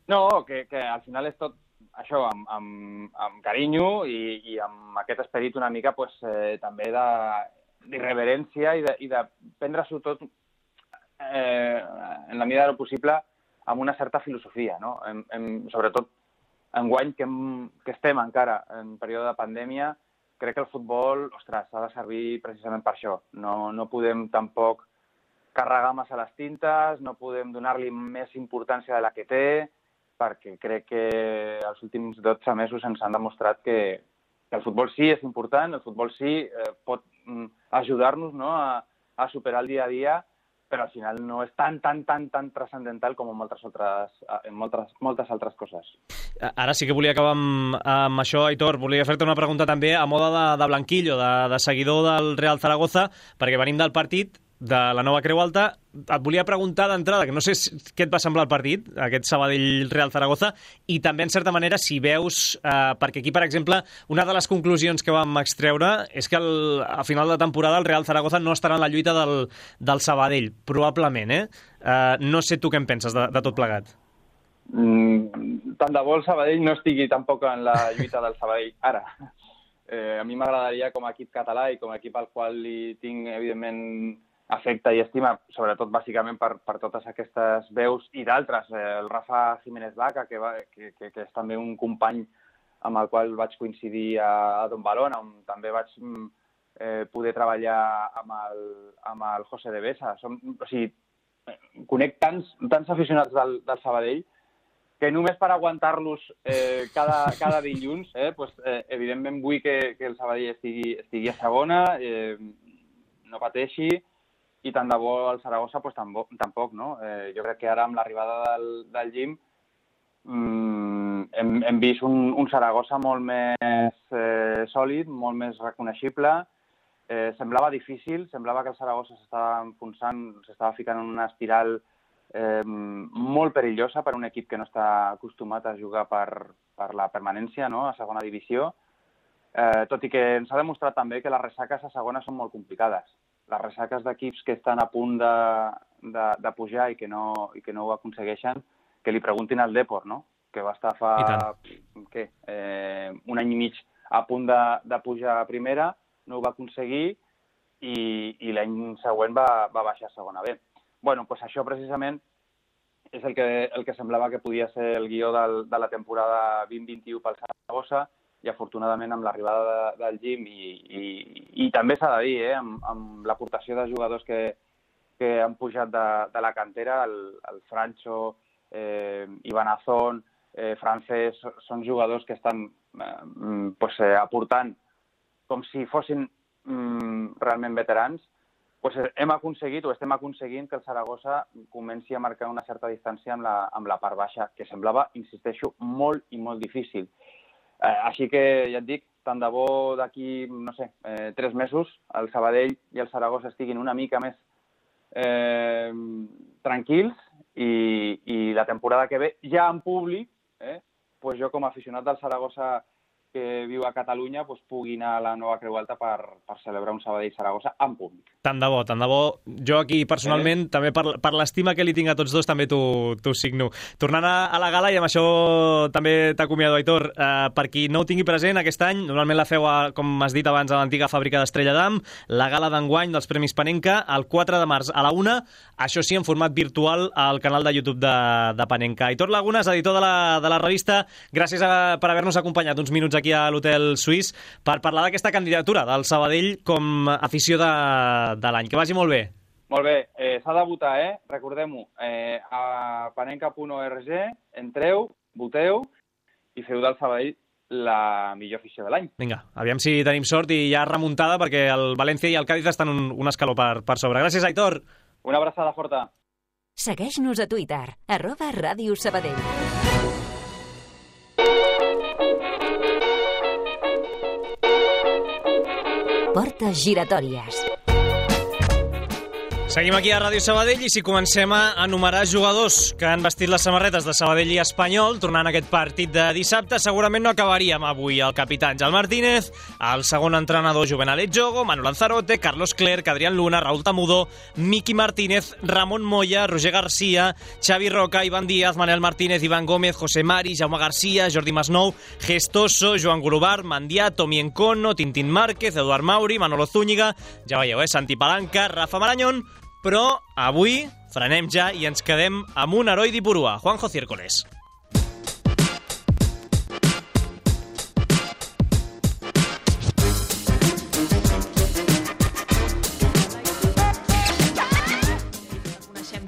No, que al final és tot això, amb carinyo i amb aquest esperit una mica pues, també d'irreverència i de prendre-s'ho tot en la mida del possible amb una certa filosofia, no? Sobretot enguany que estem encara en període de pandèmia, crec que el futbol, ostres, ha de servir precisament per això. No podem tampoc carregar massa les tintes, no podem donar-li més importància de la que té, perquè crec que els últims 12 mesos ens han demostrat que el futbol sí és important, el futbol sí pot ajudar-nos, no, a superar el dia a dia, però al final no és tan transcendental com en moltes altres coses. Ara sí que volia acabar amb això, Aitor. Volia fer-te una pregunta també a moda de blanquillo, de seguidor del Real Zaragoza, perquè venim del partit de la nova Creu Alta. Et volia preguntar d'entrada, que no sé què et va semblar el partit, aquest Sabadell-Real Zaragoza, i també, en certa manera, si veus... perquè aquí, per exemple, una de les conclusions que vam extreure és que a final de temporada el Real Zaragoza no estarà en la lluita del Sabadell, probablement, no sé tu què en penses de tot plegat. Tant de bo el Sabadell no estigui tampoc en la lluita del Sabadell ara. A mi m'agradaria, com a equip català i com a equip al qual li tinc, evidentment, afecte i estima, sobretot bàsicament per totes aquestes veus i d'altres. El Rafa Jiménez Vaca, que és també un company amb el qual vaig coincidir a Don Balón, on també vaig poder treballar amb el José de Besa. O sigui, conec tants aficionats del Sabadell que només per aguantar-los cada dilluns, evidentment vull que el Sabadell estigui a segona, no pateixi, i tant de bo el Saragossa pues, tampoc, no? Jo crec que ara amb l'arribada del Jim hem vist un Saragossa molt més sòlid, molt més reconeixible. Semblava difícil, semblava que el Saragossa s'estava enfonsant, s'estava ficant en una espiral molt perillosa per un equip que no està acostumat a jugar per la permanència, no? A segona divisió, tot i que ens ha demostrat també que les ressaques a segona són molt complicades. Les ressaques d'equips que estan a punt de pujar i que no ho aconsegueixen, que li preguntin al Depor, no? Que va estar fa un any i mig a punt de pujar a primera, no ho va aconseguir i l'any següent va baixar a segona B. Bueno, doncs això precisament és el que semblava que podia ser el guió de la temporada 2021 pel Saragossa, i afortunadament amb l'arribada del Jim i també s'ha de dir, amb l'aportació de jugadors que han pujat de la cantera, el Francho, Ivan Azón, Francés, són jugadors que estan aportant com si fossin realment veterans, hem aconseguit o estem aconseguint que el Saragossa comenci a marcar una certa distància amb la part baixa, que semblava, insisteixo, molt i molt difícil. Així que, ja et dic, tant de bo d'aquí, 3 mesos, el Sabadell i el Saragossa estiguin una mica més tranquils i la temporada que ve, ja en públic, jo com a aficionat del Saragossa que viu a Catalunya pugui anar a la nova Creu Alta per celebrar un Sabadell-Saragossa en públic. Tant de bo, tant de bo. Jo aquí, personalment, també per l'estima que li tinc a tots dos, també t'ho signo. Tornant a la gala, i amb això també t'acomiado, Aitor, per qui no ho tingui present, aquest any, normalment la feu, com has dit abans, a l'antiga fàbrica d'Estrella d'Am, la gala d'enguany dels Premis Panenka, el 4 de març a la 1, això sí, en format virtual, al canal de YouTube de Panenka. Aitor Lagunas, editor de la revista, gràcies per haver-nos acompanyat uns minuts aquí a l'Hotel Suís per parlar d'aquesta candidatura del Sabadell com a afició de l'any. Que vagi molt bé. Molt bé. S'ha de votar, Recordem-ho. A panenka.org, entreu, voteu i feu del Sabadell la millor afició de l'any. Vinga, aviam si tenim sort i hi ha remuntada, perquè el València i el Cádiz estan un escaló per sobre. Gràcies, Aitor. Una abraçada forta. Segueix-nos a Twitter, @Ràdio Sabadell. Portes giratòries. Seguim aquí a Ràdio Sabadell i si comencem a enumerar jugadors que han vestit les samarretes de Sabadell i Espanyol tornant a aquest partit de dissabte, segurament no acabaríem avui el capità Àngel Martínez, el segon entrenador Juvenal Etxogo, Manu Lanzarote, Carlos Clerc, Adrián Luna, Raúl Tamudó, Miki Martínez, Ramon Moya, Roger García, Xavi Roca, Iván Díaz, Manel Martínez, Iván Gómez, José Mari, Jaume García, Jordi Masnou, Gestoso, Joan Golobart, Mandià, Tomi Encono, Tintín Márquez, Eduard Mauri, Manolo Zúñiga, ja veieu, Santi Palanca, Rafa Marañón, però avui frenem ja i ens quedem amb un heroi d'Ipurua, Juanjo Ciércoles.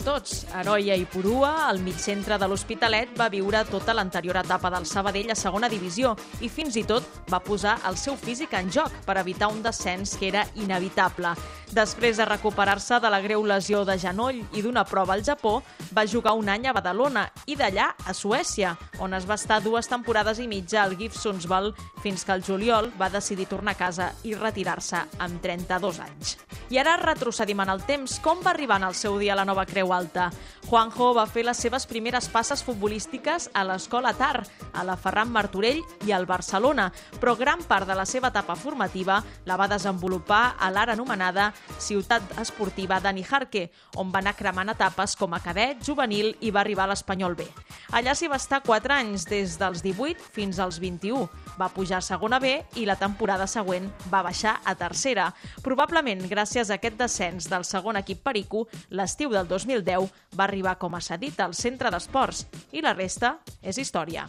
Tots. Heroi a Ipurua, al migcentre de l'Hospitalet, va viure tota l'anterior etapa del Sabadell a segona divisió i fins i tot va posar el seu físic en joc per evitar un descens que era inevitable. Després de recuperar-se de la greu lesió de genoll i d'una prova al Japó, va jugar un any a Badalona i d'allà a Suècia, on es va estar 2 temporades i mitja al GIF Sundsvall fins que el juliol va decidir tornar a casa i retirar-se amb 32 anys. I ara retrocedim en el temps. Com va arribar en el seu dia a la nova Creu Alta? Juanjo va fer les seves primeres passes futbolístiques a l'Escola Tar, a la Ferran Martorell i al Barcelona, però gran part de la seva etapa formativa la va desenvolupar a l'ara anomenada Ciutat Esportiva Dani Jarque, on va anar cremant etapes com a cadet, juvenil i va arribar a l'Espanyol B. Allà s'hi va estar 4 anys, des dels 18 fins als 21. Va pujar a segona B i la temporada següent va baixar a tercera. Probablement gràcies a aquest descens del segon equip perico, l'estiu del 2010 va arribar com a cedit al centre d'esports i la resta és història.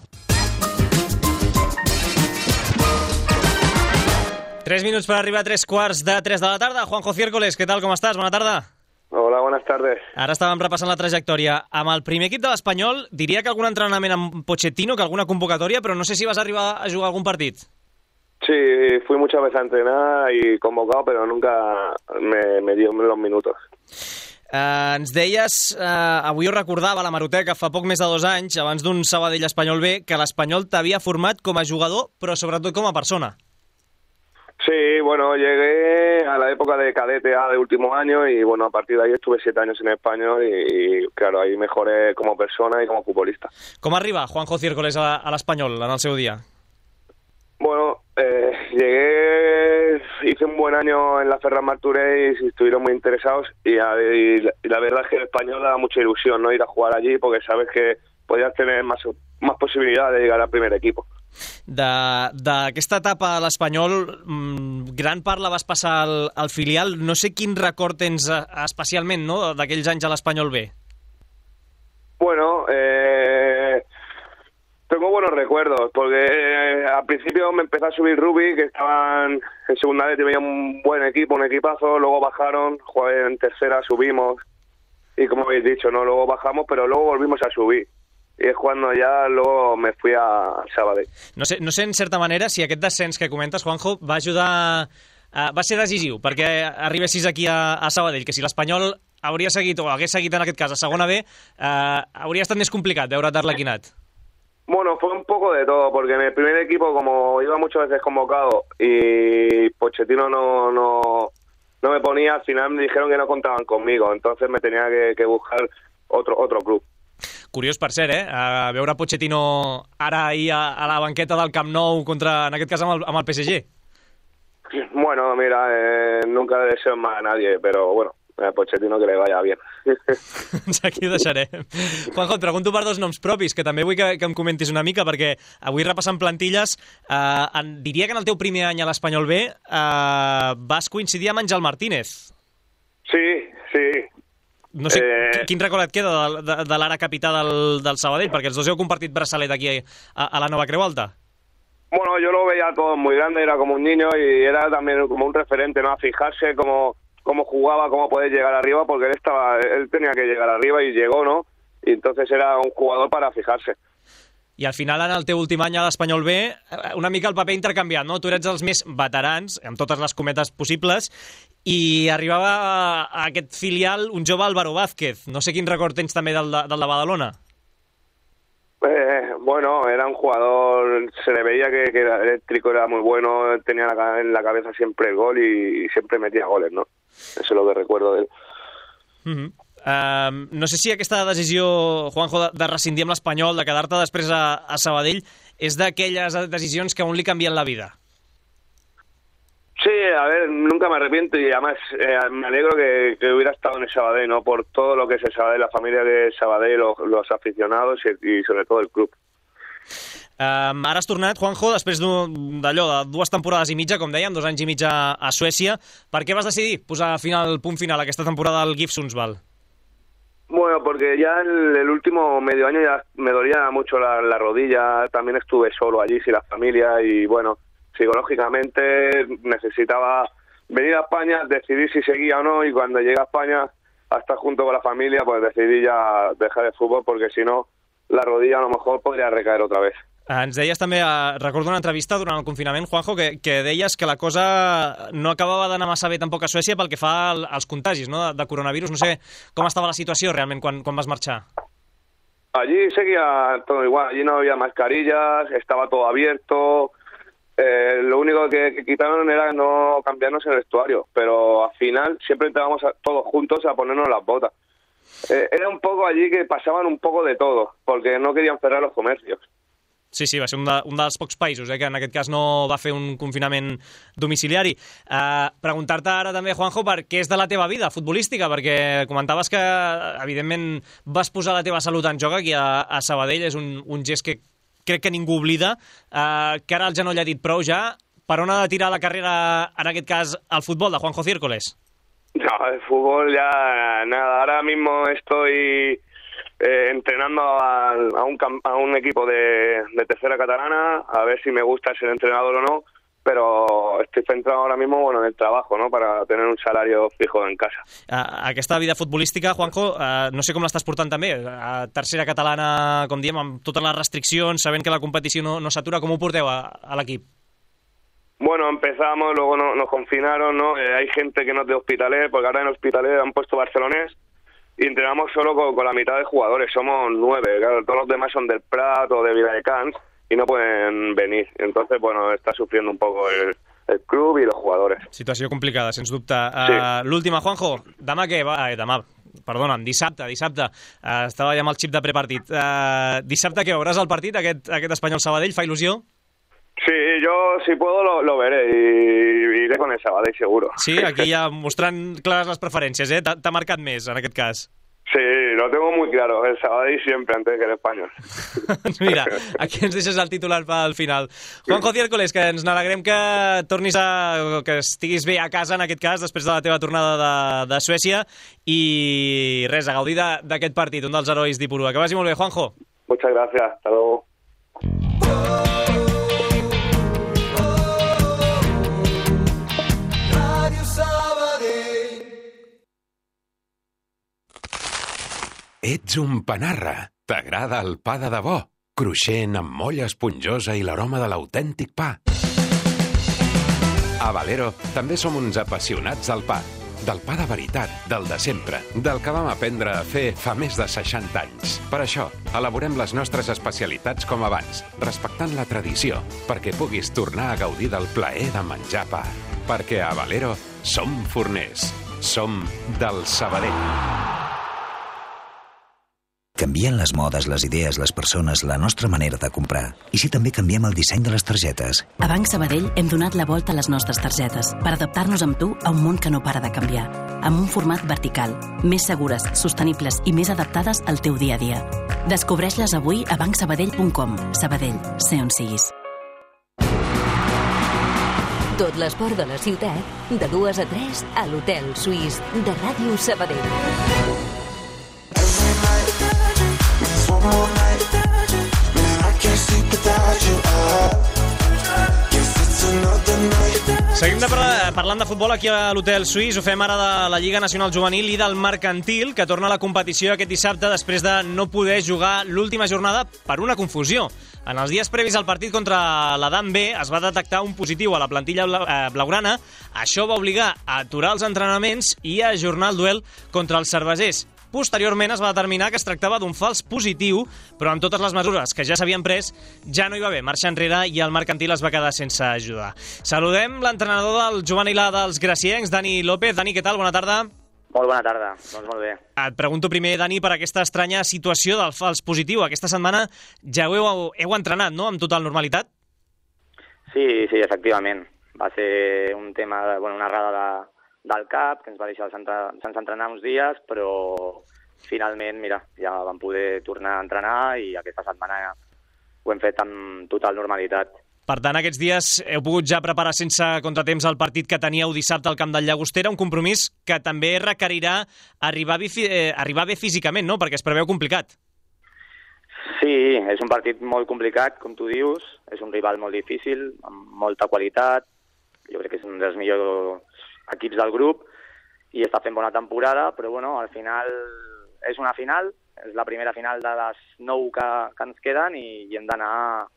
3 minuts per arribar a 3 quarts de 3 de la tarda. Juanjo Ciércoles, què tal, com estàs? Bona tarda. Hola, buenas tardes. Ara estàvem repassant la trajectòria. Amb el primer equip de l'Espanyol, diria que algun entrenament amb Pochettino, que alguna convocatòria, però no sé si vas arribar a jugar algun partit. Sí, fui muchas veces a entrenar y convocado, pero nunca me dio los minutos. Ens deies, avui ho recordava a la Maroteca, fa poc més de 2 anys, abans d'un Sabadell Espanyol B, que l'Espanyol t'havia format com a jugador, però sobretot com a persona. Sí, bueno, llegué a la época de cadete A de último año y bueno, a partir de ahí estuve 7 años en Español y claro, ahí mejoré como persona y como futbolista. Com arriba Juanjo Ciércoles a l'Espanyol en el seu dia? Bueno, llegué, hice un buen año en la Ferran Martorell y estuvieron muy interesados y la verdad es que el Español da mucha ilusión, ¿no? Ir a jugar allí porque sabes que podías tener más possibilitats de llegar al primer equip. D'aquesta etapa a l'Espanyol, gran part la vas passar al filial. No sé quin record tens especialment, no?, d'aquells anys a l'Espanyol B. Bueno, tengo buenos recuerdos, porque al principio me empezó a subir Rubi, que estaban en segunda vez, tenía un buen equipo, un equipazo, luego bajaron, jugué en tercera, subimos, y como habéis dicho, no, luego bajamos, pero luego volvimos a subir. I és quan ja luego me fui a Sabadell. No sé, en certa manera, si aquest descens que comentes, Juanjo, va ajudar, va ser decisiu perquè arribessis aquí a Sabadell, que si l'Espanyol hauria seguit, o hagués seguit en aquest cas a segona B, hauria estat més complicat veure't arlequinat. Bueno, fue un poco de todo, porque en el primer equipo, como iba muchas veces convocado y Pochettino no me ponía, al final me dijeron que no contaban conmigo, entonces me tenía que buscar otro club. Curiós, per cert, veure Pochettino ara ahir a la banqueta del Camp Nou contra, en aquest cas, amb el PSG. Bueno, mira, nunca deseo más a nadie, pero bueno, a Pochettino que le vaya bien. Aquí ho deixarem. Juanjo, et pregunto per 2 noms propis, que també vull que em comentis una mica, perquè avui repassant plantilles, diria que en el teu primer any a l'Espanyol B vas coincidir amb Àngel Martínez. Sí. No sé, quin record et queda de l'ara capità del Sabadell? Perquè els dos heu compartit braçalet aquí a la Nova Creu Alta. Bueno, yo lo veía todo muy grande, era como un niño y era también como un referente, ¿no? A fijarse cómo jugaba, cómo poder llegar arriba, porque él tenía que llegar arriba y llegó, ¿no? Y entonces era un jugador para fijarse. I al final, en el teu últim any a l'Espanyol B, una mica el paper intercanviat, no? Tu eres els més veterans, amb totes les cometes possibles, i arribava a aquest filial un jove Álvaro Vázquez. No sé quin record tens també del de Badalona. Bueno, era un jugador, se le veía que era eléctrico, era muy bueno, tenía en la cabeza siempre el gol y siempre metía goles, ¿no? Eso es lo que recuerdo de él. No sé si aquesta decisió, Juanjo, de rescindir amb l'Espanyol, de quedar-te després a Sabadell, és d'aquelles decisions que a un li canvien la vida. Sí, a ver, nunca me arrepiento y además me alegro que hubiera estado en el Sabadell, ¿no? Por todo lo que es el Sabadell, la familia de Sabadell, los aficionados y sobre todo el club. Ara has tornat, Juanjo, després d'allò, de 2 temporades i mitja, com dèiem, 2 anys i mig a Suècia. Per què vas decidir posar punt final a aquesta temporada al GIF Sundsvall? Bueno, porque ya el último medio año ya me dolía mucho la rodilla, también estuve solo allí sin la familia y bueno, psicológicamente necesitaba venir a España, decidir si seguía o no y cuando llegué a España a estar junto con la familia pues decidí ya dejar el fútbol porque si no la rodilla a lo mejor podría recaer otra vez. Ens deies també, recordo una entrevista durant el confinament, Juanjo, que deies que la cosa no acabava d'anar massa bé tampoc a Suècia pel que fa als contagis, no?, de coronavirus. No sé com estava la situació realment quan vas marxar. Allí seguía todo igual, allí no había mascarillas, estaba todo abierto. Lo único que quitaron era no cambiarnos el vestuario, pero al final siempre entrábamos todos juntos a ponernos las botas. Era un poco allí que pasaban un poco de todo, porque no querían cerrar los comercios. Sí, va ser un dels pocs països que en aquest cas no va fer un confinament domiciliari. Preguntar-te ara també, Juanjo, per què és de la teva vida futbolística, perquè comentaves que, evidentment, vas posar la teva salut en joc aquí a Sabadell, és un gest que crec que ningú oblida, que ara el genoll ha dit prou ja. Per on ha de tirar la carrera, en aquest cas, al futbol de Juanjo Ciércoles? No, el fútbol ya nada, ahora mismo estoy entrenando a un equipo de tercera catalana, a ver si me gusta ser entrenador o no, pero estoy centrado ahora mismo en el trabajo, ¿no? Para tener un salario fijo en casa. Aquesta vida futbolística, Juanjo, no sé com l'estàs portant també. Tercera catalana, com diem, amb totes les restriccions, sabent que la competició no s'atura, com ho porteu a l'equip? Bueno, empezamos, luego nos confinaron, ¿no? Hay gente que no es de Hospitalet, porque ahora en Hospitalet han puesto barcelonés y entrenamos solo con la mitad de jugadores, somos 9, claro, todos los demás son del Prat o de Viladecans y no pueden venir. Entonces, bueno, está sufriendo un poco el club y los jugadores. Situació complicada, sens dubte. Sí. L'última, Juanjo, demà què? Perdona'm, dissabte. Estava ja amb el xip de prepartit. Dissabte què, veuràs el partit, aquest Espanyol-Sabadell? Fa il·lusió? Sí, yo si puedo lo veré y iré con el Sabadell seguro. Sí, aquí ja mostrant clares les preferències, eh? T'ha marcat més, en aquest cas. Sí, lo tengo muy claro, el Sabadell siempre antes que el Español. Mira, aquí ens deixes el titular pel final. Juanjo Ciércoles, que ens n'alegrem que tornis que estiguis bé a casa, en aquest cas, després de la teva tornada de Suècia, i res, a gaudir d'aquest partit, un dels herois d'Ipurua. Que vagi molt bé, Juanjo. Muchas gracias, hasta luego. Ets un panarra. T'agrada el pa de debò? Cruixent, amb molla esponjosa i l'aroma de l'autèntic pa. A Valero també som uns apassionats del pa. Del pa de veritat, del de sempre, del que vam aprendre a fer fa més de 60 anys. Per això, elaborem les nostres especialitats com abans, respectant la tradició, perquè puguis tornar a gaudir del plaer de menjar pa. Perquè a Valero som forners. Som del Sabadell. Canvien les modes, les idees, les persones, la nostra manera de comprar. I si també canviem el disseny de les targetes? A Banc Sabadell hem donat la volta a les nostres targetes per adaptar-nos amb tu a un món que no para de canviar. Amb un format vertical, més segures, sostenibles i més adaptades al teu dia a dia. Descobreix-les avui a bancsabadell.com. Sabadell, sé on siguis. Tot l'esport de la ciutat, de 2 a 3 a l'Hotel Suís de Ràdio Sabadell. Seguim parlant de futbol aquí a l'Hotel Suís. Ho fem ara de la Lliga Nacional Juvenil i del Mercantil, que torna a la competició aquest dissabte després de no poder jugar l'última jornada per una confusió. En els dies previs al partit contra l'Adam B es va detectar un positiu a la plantilla blaugrana. Això va obligar a aturar els entrenaments i a ajornar el duel contra els cervesers. Posteriorment es va determinar que es tractava d'un fals positiu, però amb totes les mesures que ja s'havien pres ja no hi va haver marxa enrere i el Mercantil es va quedar sense ajudar. Saludem l'entrenador del juvenil A dels graciencs, Dani López. Dani, què tal? Bona tarda. Molt bona tarda, doncs molt bé. Et pregunto primer, Dani, per aquesta estranya situació del fals positiu. Aquesta setmana ja heu entrenat, no?, amb total normalitat? Sí, efectivament. Va ser un tema, una errada del CAP, que ens va deixar sense entrenar uns dies, però finalment, mira, ja vam poder tornar a entrenar i aquesta setmana ho hem fet amb total normalitat. Per tant, aquests dies heu pogut ja preparar sense contratemps el partit que teníeu dissabte al camp del Llagostera, un compromís que també requerirà arribar bé físicament, no?, perquè es preveu complicat. Sí, és un partit molt complicat, com tu dius, és un rival molt difícil, amb molta qualitat, jo crec que és un dels millors equips del grup i està fent bona temporada, però al final és una final, és la primera final de les 9 que ens queden i hem d'anar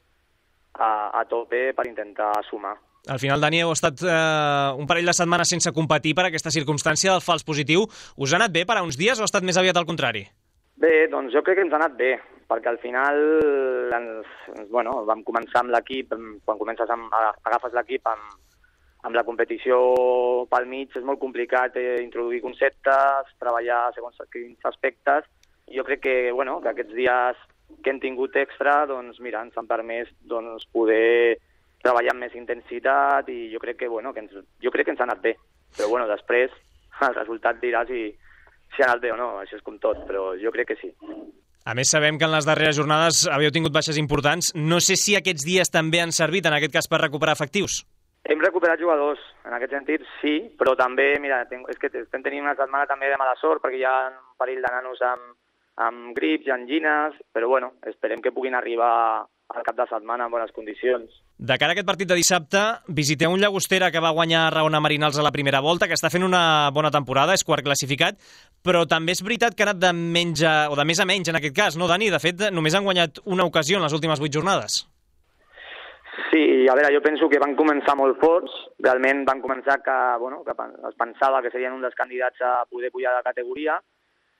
a tope per intentar sumar. Al final, Dani, heu estat un parell de setmanes sense competir per aquesta circumstància del fals positiu. Us ha anat bé per a uns dies o ha estat més aviat al contrari? Bé, doncs jo crec que ens ha anat bé, perquè al final vam començar amb l'equip, quan agafes l'equip amb la competició pel mig és molt complicat introduir conceptes, treballar segons quins aspectes. Jo crec que aquests dies que hem tingut extra ens han permès poder treballar amb més intensitat i jo crec que ens ha anat bé. Però després el resultat dirà si ha anat bé o no, això és com tot, però jo crec que sí. A més, sabem que en les darreres jornades haveu tingut baixes importants. No sé si aquests dies també han servit, en aquest cas, per recuperar efectius. Hem recuperat jugadors, en aquest sentit sí, però també, és que estem tenint una setmana també de mala sort perquè hi ha un parell de nanos amb grips i angines, però esperem que puguin arribar al cap de setmana en bones condicions. De cara a aquest partit de dissabte, visiteu un Llagostera que va guanyar a Raona Marinals a la primera volta, que està fent una bona temporada, és quart classificat, però també és veritat que ha anat de menys o de més a menys en aquest cas, no, Dani? De fet, només han guanyat una ocasió en les últimes 8 jornades. Sí, a veure, jo penso que van començar molt forts, realment van començar que es pensava que serien un dels candidats a poder pujar de categoria,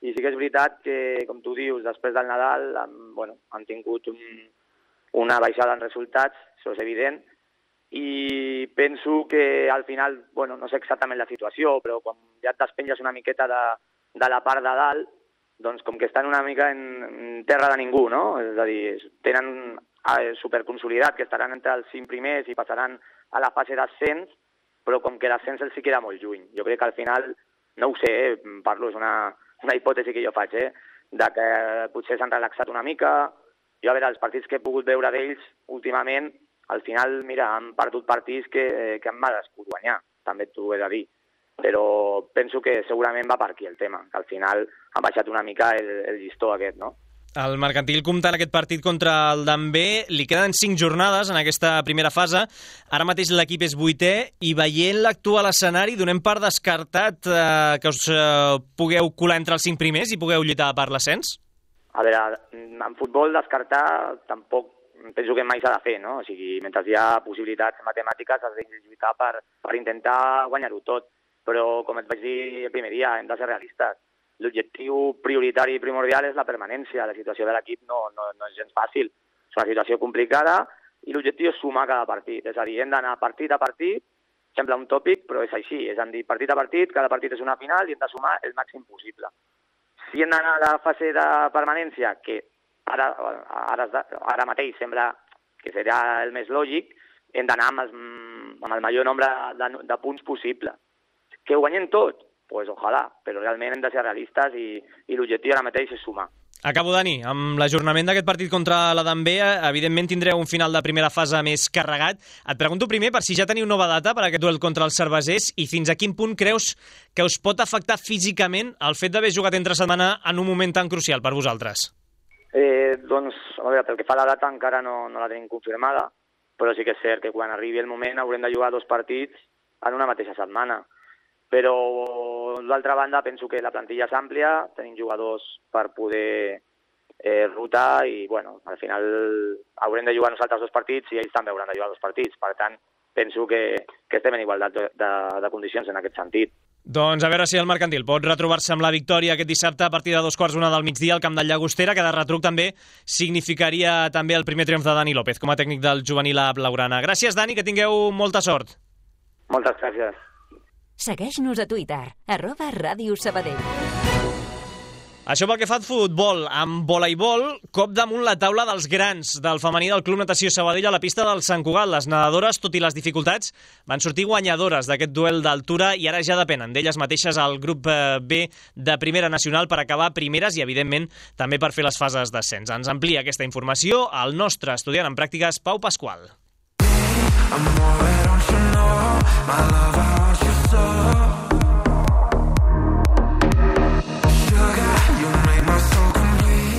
i sí que és veritat que, com tu dius, després del Nadal han tingut una baixada en resultats, això és evident, i penso que al final, no sé exactament la situació, però quan ja et despenges una miqueta de la part de dalt, doncs com que estan una mica en terra de ningú, no? És a dir, tenen superconsolidat, que estaran entre els 5 primers i passaran a la fase d'ascens, però com que l'ascens els hi queda molt lluny. Jo crec que al final, no ho sé, parlo, és una hipòtesi que jo faig, de que potser s'han relaxat una mica. Jo, a veure, els partits que he pogut veure d'ells últimament, al final, mira, han perdut partits que han merescut guanyar, també t'ho he de dir. Però penso que segurament va per aquí el tema, que al final han baixat una mica el llistó aquest, no? El Mercantil, comptant aquest partit contra el Dambé, li queden 5 jornades en aquesta primera fase. Ara mateix l'equip és 8è i veient l'actual escenari donem per descartat que us pugueu colar entre els 5 primers i pugueu lluitar per l'ascens? A veure, en futbol descartar tampoc penso que mai s'ha de fer, no? O sigui, mentre hi ha possibilitats matemàtiques has de lluitar per intentar guanyar-ho tot. Però, com et vaig dir el primer dia, hem de ser realistes. L'objectiu prioritari i primordial és la permanència. La situació de l'equip no és gens fàcil. És una situació complicada i l'objectiu és sumar cada partit. És a dir, hem d'anar partit a partit, sembla un tòpic, però és així. És a dir, partit a partit, cada partit és una final i hem de sumar el màxim possible. Si hem d'anar a la fase de permanència, que ara mateix sembla que serà el més lògic, hem d'anar amb el major nombre de punts possible. Que ho guanyem tot? Pues ojalà, però realment hem de ser realistes i l'objectiu ara mateix és sumar. Acabo, Dani. Amb l'ajornament d'aquest partit contra la Dambé, evidentment tindreu un final de primera fase més carregat. Et pregunto primer per si ja teniu nova data per aquest duel contra els cervesers i fins a quin punt creus que us pot afectar físicament el fet d'haver jugat entre setmana en un moment tan crucial per vosaltres. Doncs, a veure, pel que fa a la data encara no la tenim confirmada, però sí que és cert que quan arribi el moment haurem de jugar 2 partits en una mateixa setmana. Però, d'altra banda, penso que la plantilla és àmplia, tenim jugadors per poder rotar i, al final haurem de jugar nosaltres 2 partits i ells també hauran de jugar 2 partits. Per tant, penso que estem en igualtat de condicions en aquest sentit. Doncs a veure si el Mercantil pot retrobar-se amb la victòria aquest dissabte a partir de 2:15 del migdia al camp del Llagostera, que de retruc també significaria també el primer triomf de Dani López com a tècnic del juvenil a Blaugrana. Gràcies, Dani, que tingueu molta sort. Moltes gràcies. Segueix-nos a Twitter, @Ràdio Sabadell. Això pel que fa al futbol. Amb voleibol, cop damunt la taula dels grans del femení del Club Natació Sabadell a la pista del Sant Cugat. Les nedadores, tot i les dificultats, van sortir guanyadores d'aquest duel d'altura i ara ja depenen d'elles mateixes al grup B de Primera Nacional per acabar primeres i, evidentment, també per fer les fases d'ascens. Ens amplia aquesta informació el nostre estudiant en pràctiques, Pau Pasqual.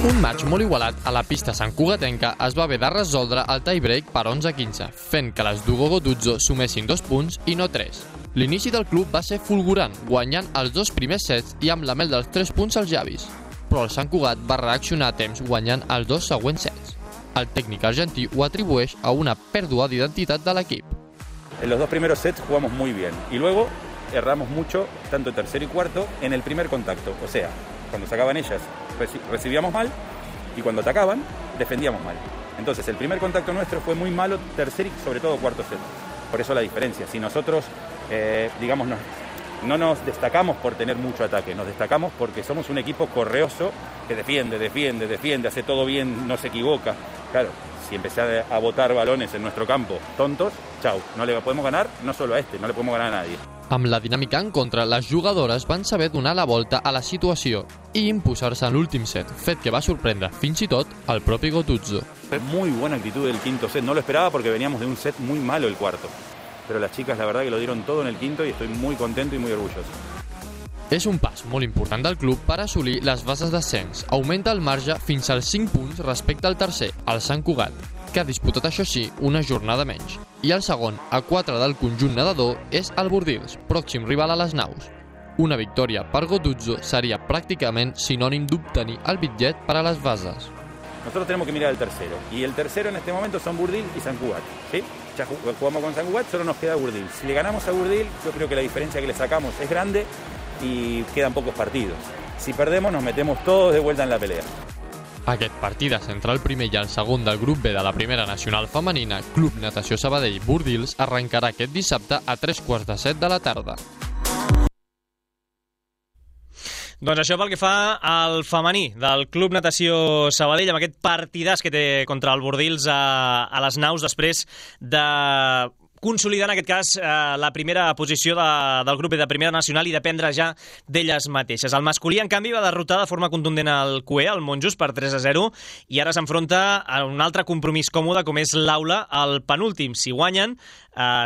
Un match molt igualat a la pista santcugatenca es va haver de resoldre el tie-break per 11-15, fent que les d'Hugo Gotuzzo sumessin 2 punts i no 3. L'inici del club va ser fulgurant, guanyant els 2 primers sets i amb la mel dels 3 punts als llavis. Però el Sant Cugat va reaccionar a temps guanyant els 2 següents sets. El tècnic argentí ho atribueix a una pèrdua d'identitat de l'equip. En los 2 primeros sets jugamos muy bien y luego erramos mucho, tanto tercero y cuarto, en el primer contacto. O sea, cuando sacaban ellas recibíamos mal y cuando atacaban defendíamos mal. Entonces el primer contacto nuestro fue muy malo, tercer y sobre todo cuarto set. Por eso la diferencia. Si nosotros, no nos destacamos por tener mucho ataque, nos destacamos porque somos un equipo correoso que defiende, hace todo bien, no se equivoca. Claro, si empecé a botar balones en nuestro campo tontos, chau, no le podemos ganar no solo a no le podemos ganar a nadie. Amb la dinàmica en contra, les jugadores van saber donar la volta a la situació i imposar-se en l'últim set, fet que va sorprendre fins i tot el propi Gotuzzo. Muy buena actitud del quinto set, no lo esperaba porque veníamos de un set muy malo el cuarto. Pero las chicas la verdad que lo dieron todo en el quinto y estoy muy contento y muy orgulloso. És un pas molt important del club per assolir les bases d'ascens. Augmenta el marge fins als 5 punts respecte al tercer, el Sant Cugat. que ha disputat, això sí, una jornada menys. I el segon, a 4 del conjunt nedador, és el Bordils, pròxim rival a les naus. Una victòria per Gotuzzo seria prácticamente sinónimo d'obtenir el bitllet para las bases. Nosotros tenemos que mirar al tercero. Y el tercero en este momento son Burdil y Sant Cugat. ¿Sí? Ya jugamos con Sant Cugat, solo nos queda Burdil. Si le ganamos a Burdil, yo creo que la diferencia que le sacamos es grande y quedan pocos partidos. Si perdemos, nos metemos todos de vuelta en la pelea. Aquest partit entre el primer i el segon del grup B de la primera nacional femenina, Club Natació Sabadell Bordils, arrencarà aquest dissabte a 3:45 de la tarda. Doncs això pel que fa al femení del Club Natació Sabadell, amb aquest partidàs que té contra el Bordils a les naus després de consolidar, en aquest cas, la primera posició del grup de primera nacional i dependre ja d'elles mateixes. El masculí, en canvi, va derrotar de forma contundent el CUE, el Monjos, per 3-0, i ara s'enfronta a un altre compromís còmode, com és l'Aula, el penúltim. Si guanyen,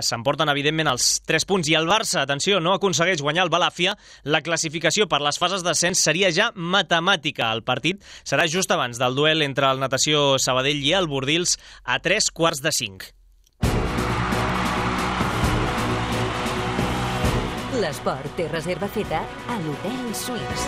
s'emporten, evidentment, els 3 punts. I el Barça, atenció, no aconsegueix guanyar el Balàfia. La classificació per les fases d'ascens seria ja matemàtica. El partit serà just abans del duel entre el Natació Sabadell i el Bordils a 3:45. L'esport té reserva feta a l'Hotel Suís.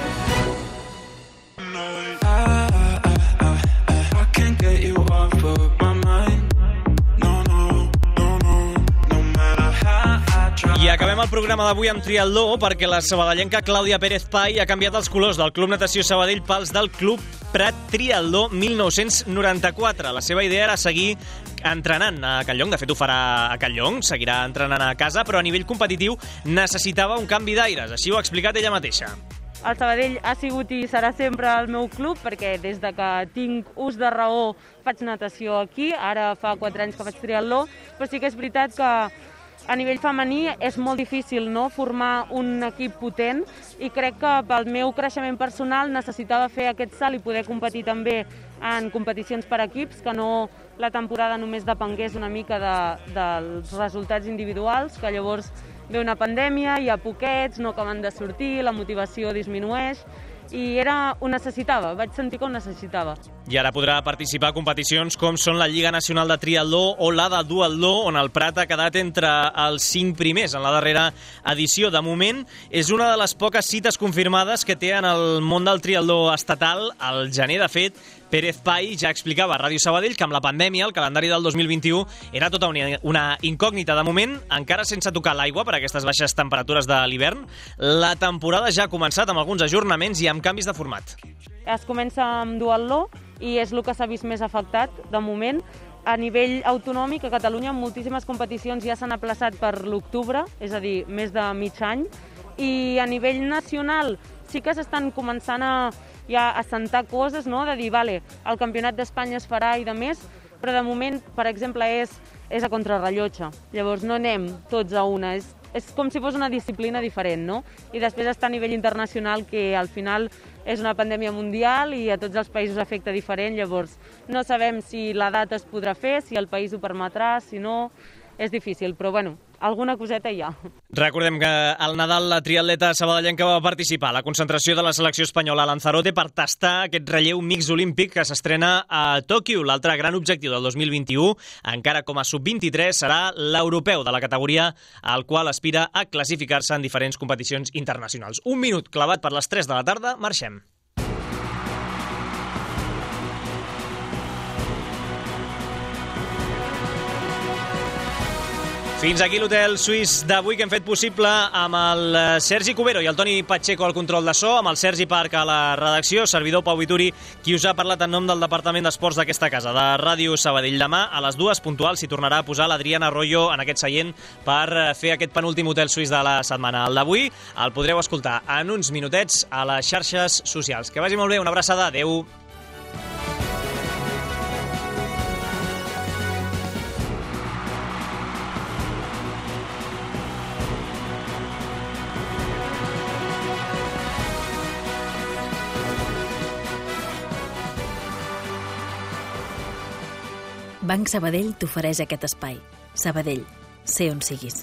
I acabem el programa d'avui amb triatló perquè la sabadellenca Clàudia Pérez Pai ha canviat els colors del Club Natació Sabadell pels del Club Prat Triatló 1994. La seva idea era seguir entrenant a Catlllong, de fet ho farà a Catlllong, seguirà entrenant a casa, però a nivell competitiu necessitava un canvi d'aires, així ho ha explicat ella mateixa. El Sabadell ha sigut i serà sempre el meu club perquè des de que tinc ús de raó faig natació aquí, ara fa 4 anys que faig triatló, però sí que és veritat que a nivell femení és molt difícil, no?, formar un equip potent i crec que pel meu creixement personal necessitava fer aquest salt i poder competir també en competicions per equips, que no la temporada només depengués una mica dels resultats individuals, que llavors ve una pandèmia, hi ha poquets, no acaben de sortir, la motivació disminueix, i ho necessitava, vaig sentir que ho necessitava. I ara podrà participar a competicions com són la Lliga Nacional de Triatló o la de Duatló, on el Prat ha quedat entre els 5 primers en la darrera edició. De moment, és una de les poques cites confirmades que té en el món del triatló estatal. Al gener, de fet, Pérez Pai ja explicava a Ràdio Sabadell que amb la pandèmia el calendari del 2021 era tota una incògnita. De moment, encara sense tocar l'aigua per aquestes baixes temperatures de l'hivern, la temporada ja ha començat amb alguns ajornaments i amb canvis de format. Es comença amb duatló i és el que s'ha vist més afectat de moment. A nivell autonòmic, a Catalunya, moltíssimes competicions ja s'han aplaçat per l'octubre, és a dir, més de mig any, i a nivell nacional sí que s'estan començant a assentar coses, no?, de dir, vale, el Campionat d'Espanya es farà i de més, però de moment, per exemple, és a contrarrellotge. Llavors no anem tots a una, és com si fos una disciplina diferent, no? I després està a nivell internacional, que al final és una pandèmia mundial i a tots els països afecta diferent, llavors no sabem si la data es podrà fer, si el país ho permetrà, si no, és difícil, però bueno, alguna coseta hi ha. Recordem que al Nadal la triatleta sabadellenca va participar a la concentració de la selecció espanyola a Lanzarote per tastar aquest relleu mix olímpic que s'estrena a Tòquio. L'altre gran objectiu del 2021, encara com a sub-23, serà l'europeu de la categoria, al qual aspira a classificar-se en diferents competicions internacionals. Un minut clavat per les 3 de la tarda, marxem. Fins aquí l'Hotel Suís d'avui, que hem fet possible amb el Sergi Cubero i el Toni Pacheco al control de so, amb el Sergi Parc a la redacció, servidor Pau Vituri, qui us ha parlat en nom del Departament d'Esports d'aquesta casa, de Ràdio Sabadell. Demà, a les 2 puntuals, s'hi tornarà a posar l'Adriana Arroyo en aquest seient per fer aquest penúltim Hotel Suís de la setmana. El d'avui el podreu escoltar en uns minutets a les xarxes socials. Que vagi molt bé, una abraçada, adeu. Banc Sabadell t'ofereix aquest espai. Sabadell, sé on siguis.